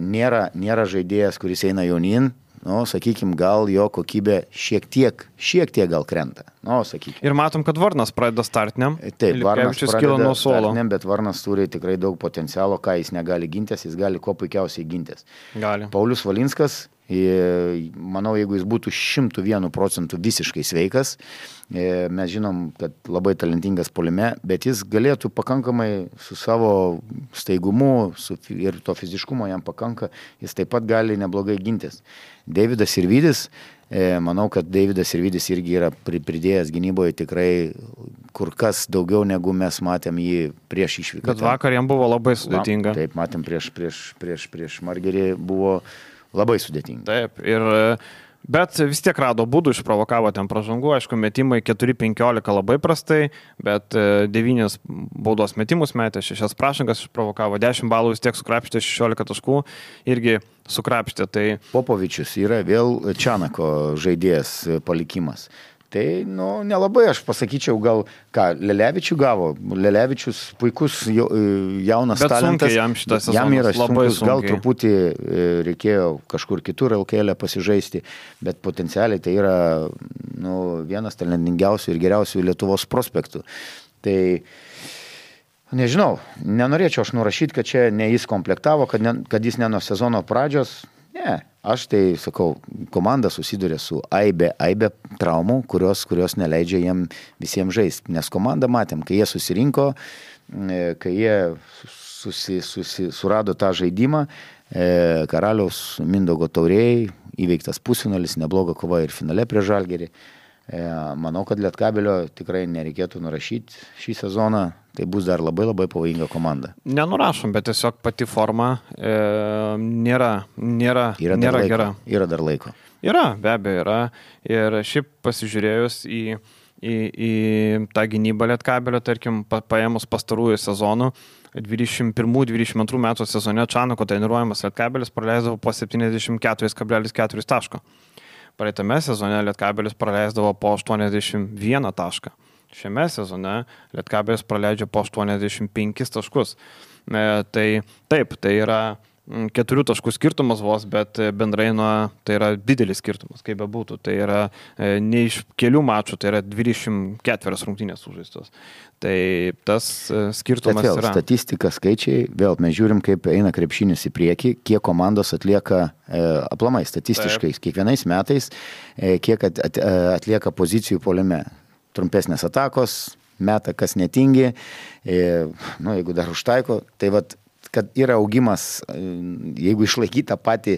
nėra, nėra žaidėjas, kuris eina jaunin, nu, sakykime, gal jo kokybė šiek tiek, šiek tiek gal krenta. Nu, sakykime. Ir matom, kad Varnas pradeda startiniam. Taip, Varnas pradeda nuo suolo. Startiniam, bet Varnas turi tikrai daug potencialo, ką jis negali gintis, jis gali kuo puikiausiai gintis. Gali. Paulius Valinskas, manau, jeigu jis būtų šimtų vienų procentų visiškai sveikas, mes žinom, kad labai talentingas puolime, bet jis galėtų pakankamai su savo staigumu su, ir to fiziškumo jam pakanka, jis taip pat gali neblogai gintis. Deividas Sirvydis, manau, kad Deividas Sirvydis irgi yra pridėjęs gynyboje tikrai kur kas daugiau, negu mes matėm jį prieš išvyką. Bet vakar jam buvo labai sudėtinga. Taip, matėm prieš, prieš, prieš, prieš Margerį buvo labai sudėtinga. Taip, ir, bet vis tiek rado būdų, išprovokavo ten pražangų, aišku, metimai keturi penkiolika labai prastai, bet devynis baudos metimus metė, šešias pražangas išprovokavo, dešimt balų vis tiek sukrapštė, šešiolika taškų irgi sukrapštė. Tai... Popovičius yra vėl Čanako žaidėjas palikimas. Tai, nu, nelabai aš pasakyčiau, gal ką, Lelevičių gavo. Lelevičius puikus jau, jaunas Bet talentas. sunkiai jam šitas sezonas. Jam yra labai sunkus, gal sunkiai. truputį reikėjo kažkur kitur L K L pasižaisti, bet potencialiai tai yra nu, vienas talentingiausių ir geriausių Lietuvos prospektų. Tai nežinau, nenorėčiau aš nurašyti, kad čia ne jis komplektavo, kad, ne, kad jis ne nuo sezono pradžios. Ne, aš tai sakau, komanda susiduria su aibė, aibė traumų, kurios, kurios neleidžia jiem visiems žaisti. Nes komandą matėm, kai jie susirinko, kai jie susi, susi, surado tą žaidimą, Karaliaus Mindaugo taurėjai, įveiktas pusfinalis, nebloga kova ir finale prie Žalgirį. Manau, kad Lietkabelio tikrai nereikėtų nurašyti šį sezoną. Tai bus dar labai labai pavojinga komanda. Nenurašom, bet tiesiog pati forma e, nėra, nėra, yra nėra laiko, gera. Yra dar laiko. Yra, be abejo, yra. Ir šiaip pasižiūrėjus į, į, į tą gynybą Lietkabelio, tarkim, pa, paėmus pastarųjų sezonų, dvidešimt pirmų dvidešimt antrų metų sezone Čanako treniruojamas Lietkabelis praleisdavo po septyniasdešimt keturi kablelis keturi taško. Praeitame sezone Lietkabelis praleisdavo po aštuoniasdešimt vieną tašką. Šiame sezone Lietkabelis praleidžia po aštuoniasdešimt penkis taškus. E, tai taip, tai yra keturių taškų skirtumas vos, bet bendrai nuo, tai yra didelis skirtumas, kaip be būtų. Tai yra e, ne iš kelių mačų, tai yra dvidešimt keturios rungtynės sužaistos. Tai tas e, skirtumas bet vėl, yra. Statistika, skaičiai, vėl mes žiūrim, kaip eina krepšinis į priekį, kiek komandos atlieka e, aplamai statistiškai, taip. Kiekvienais metais, e, kiek at, at, atlieka pozicijų puolime. Trumpesnės atakos, meta kas netingi, e, nu, jeigu dar užtaiko, tai vat, kad yra augimas, jeigu išlaikyti tą patį,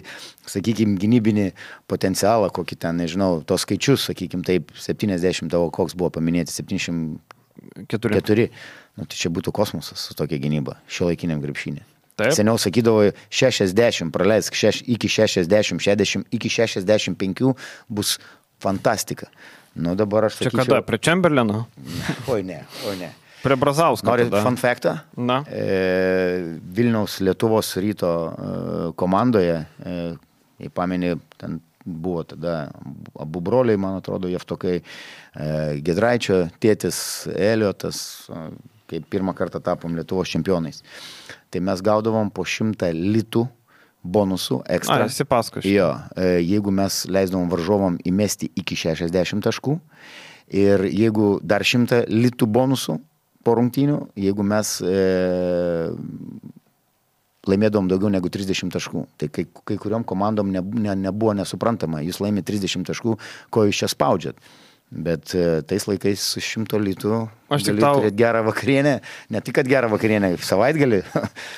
sakykime, gynybinį potencialą, kokį ten, nežinau, tos skaičius, sakykime, taip, septyniasdešimt, tavo koks buvo paminėti, septyniasdešimt keturi, nu, tai čia būtų kosmosas su tokia gynyba, šiuolaikiniam krepšinį. Seniau sakydavo šešiasdešimt, praleisk šeš, iki šešiasdešimt, šešiasdešimt, iki šešiasdešimt penkių bus fantastika. Nu, dabar aš sakyčiau... Čia kada? Prie Chamberlaino? Oi ne, oi ne. Prie Brazausko. Nori fun factą? Na. E, Vilniaus Lietuvos ryto e, komandoje, e, jei pameni, ten buvo tada abu broliai, man atrodo, Jeftokai, e, Gedraičio tėtis Eliotas, e, kai pirmą kartą tapom Lietuvos čempionais. Tai mes gaudavom po šimtą litų bonusų ekstra. A, esi paskui. Jo, jeigu mes leisdavom varžovom įmesti iki šešiasdešimt taškų ir jeigu dar šimtą litų bonusų po rungtynių, jeigu mes e, laimėdavom daugiau negu trisdešimt taškų. Tai kai, kai kuriom komandom ne, ne, nebuvo nesuprantama, jūs laimė trisdešimt taškų, ko jūs čia spaudžiat. Bet e, tais laikais su šimto litų gali tau... turėti gerą vakarienę, ne tik kad gerą vakarienę, savaitgalį.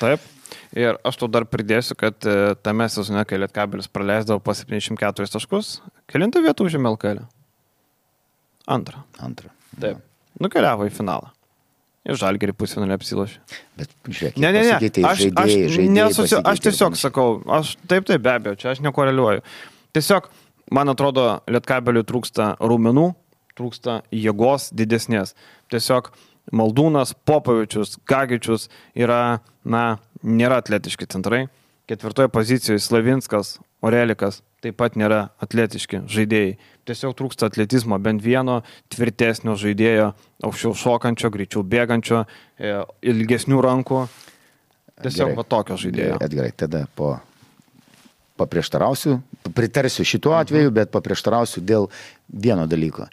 Taip. Ir aš tau dar pridėsiu, kad tame sezone, kai Lietkabelis praleisdavo po septyniasdešimt keturis taškus, kelintą vietą užėmė L K L? Antrą. Antrą. Taip. Nukeliavo į finalą. Ir Žalgirį pusfinalį apsilošė. Bet žiūrėk, ne, ne, ne. Aš, žaidėjai, aš, žaidėjai nesusi, aš tiesiog sakau, aš taip, taip, be abejo, čia aš nekoreliuoju. Tiesiog, man atrodo, Lietkabeliui trūksta raumenų, trūksta jėgos didesnės. Tiesiog Maldūnas, Popovičius, Gagičius yra, na, nėra atletiški centrai. Ketvirtoje pozicijoje Slavinskas, Orelikas taip pat nėra atletiški žaidėjai. Tiesiog trūksta atletizmo, bent vieno tvirtesnio žaidėjo, aukščiau šokančio, greičiau bėgančio, ilgesnių rankų. Tiesiog va tokio žaidėjo. Edgarai, tada po paprieštarausiu, pritarsiu šituo atveju, bet paprieštarausiu dėl vieno dalyko.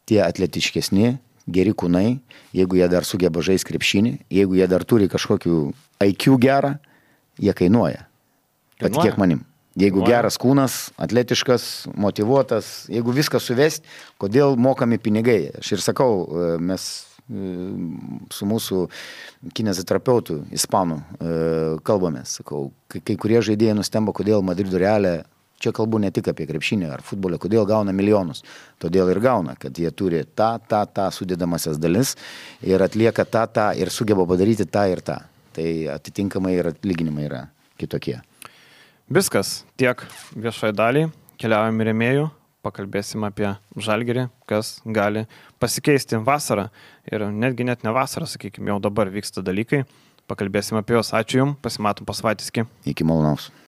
Tie atletiškesni, geri kūnai, jeigu jie dar sugeba žaisti krepšinį, jeigu jie dar turi kažkokių I Q gerą, jie kainuoja. Patikėk manim. Jeigu kainuoja. Geras kūnas, atletiškas, motyvuotas, jeigu viską suvesti, kodėl mokami pinigai? Aš ir sakau, mes su mūsų kineziterapeutu, ispanų, kalbamės. Sakau, kai kurie žaidėjai nustemba, kodėl Madrido Realė, čia kalbu ne tik apie krepšinį ar futbolą, kodėl gauna milijonus. Todėl ir gauna, kad jie turi tą, tą, tą sudėdamasias dalis ir atlieka tą, tą ir sugeba padaryti tą ir tą. Tai atitinkamai ir atlyginimai yra kitokie. Viskas, tiek viešoje daliai, keliaujam į rėmėjų, pakalbėsim apie Žalgirį, kas gali pasikeisti vasarą ir netgi net ne vasarą, sakykime, jau dabar vyksta dalykai, pakalbėsim apie juos, ačiū Jums, pasimatom po savaitės. Iki malonaus.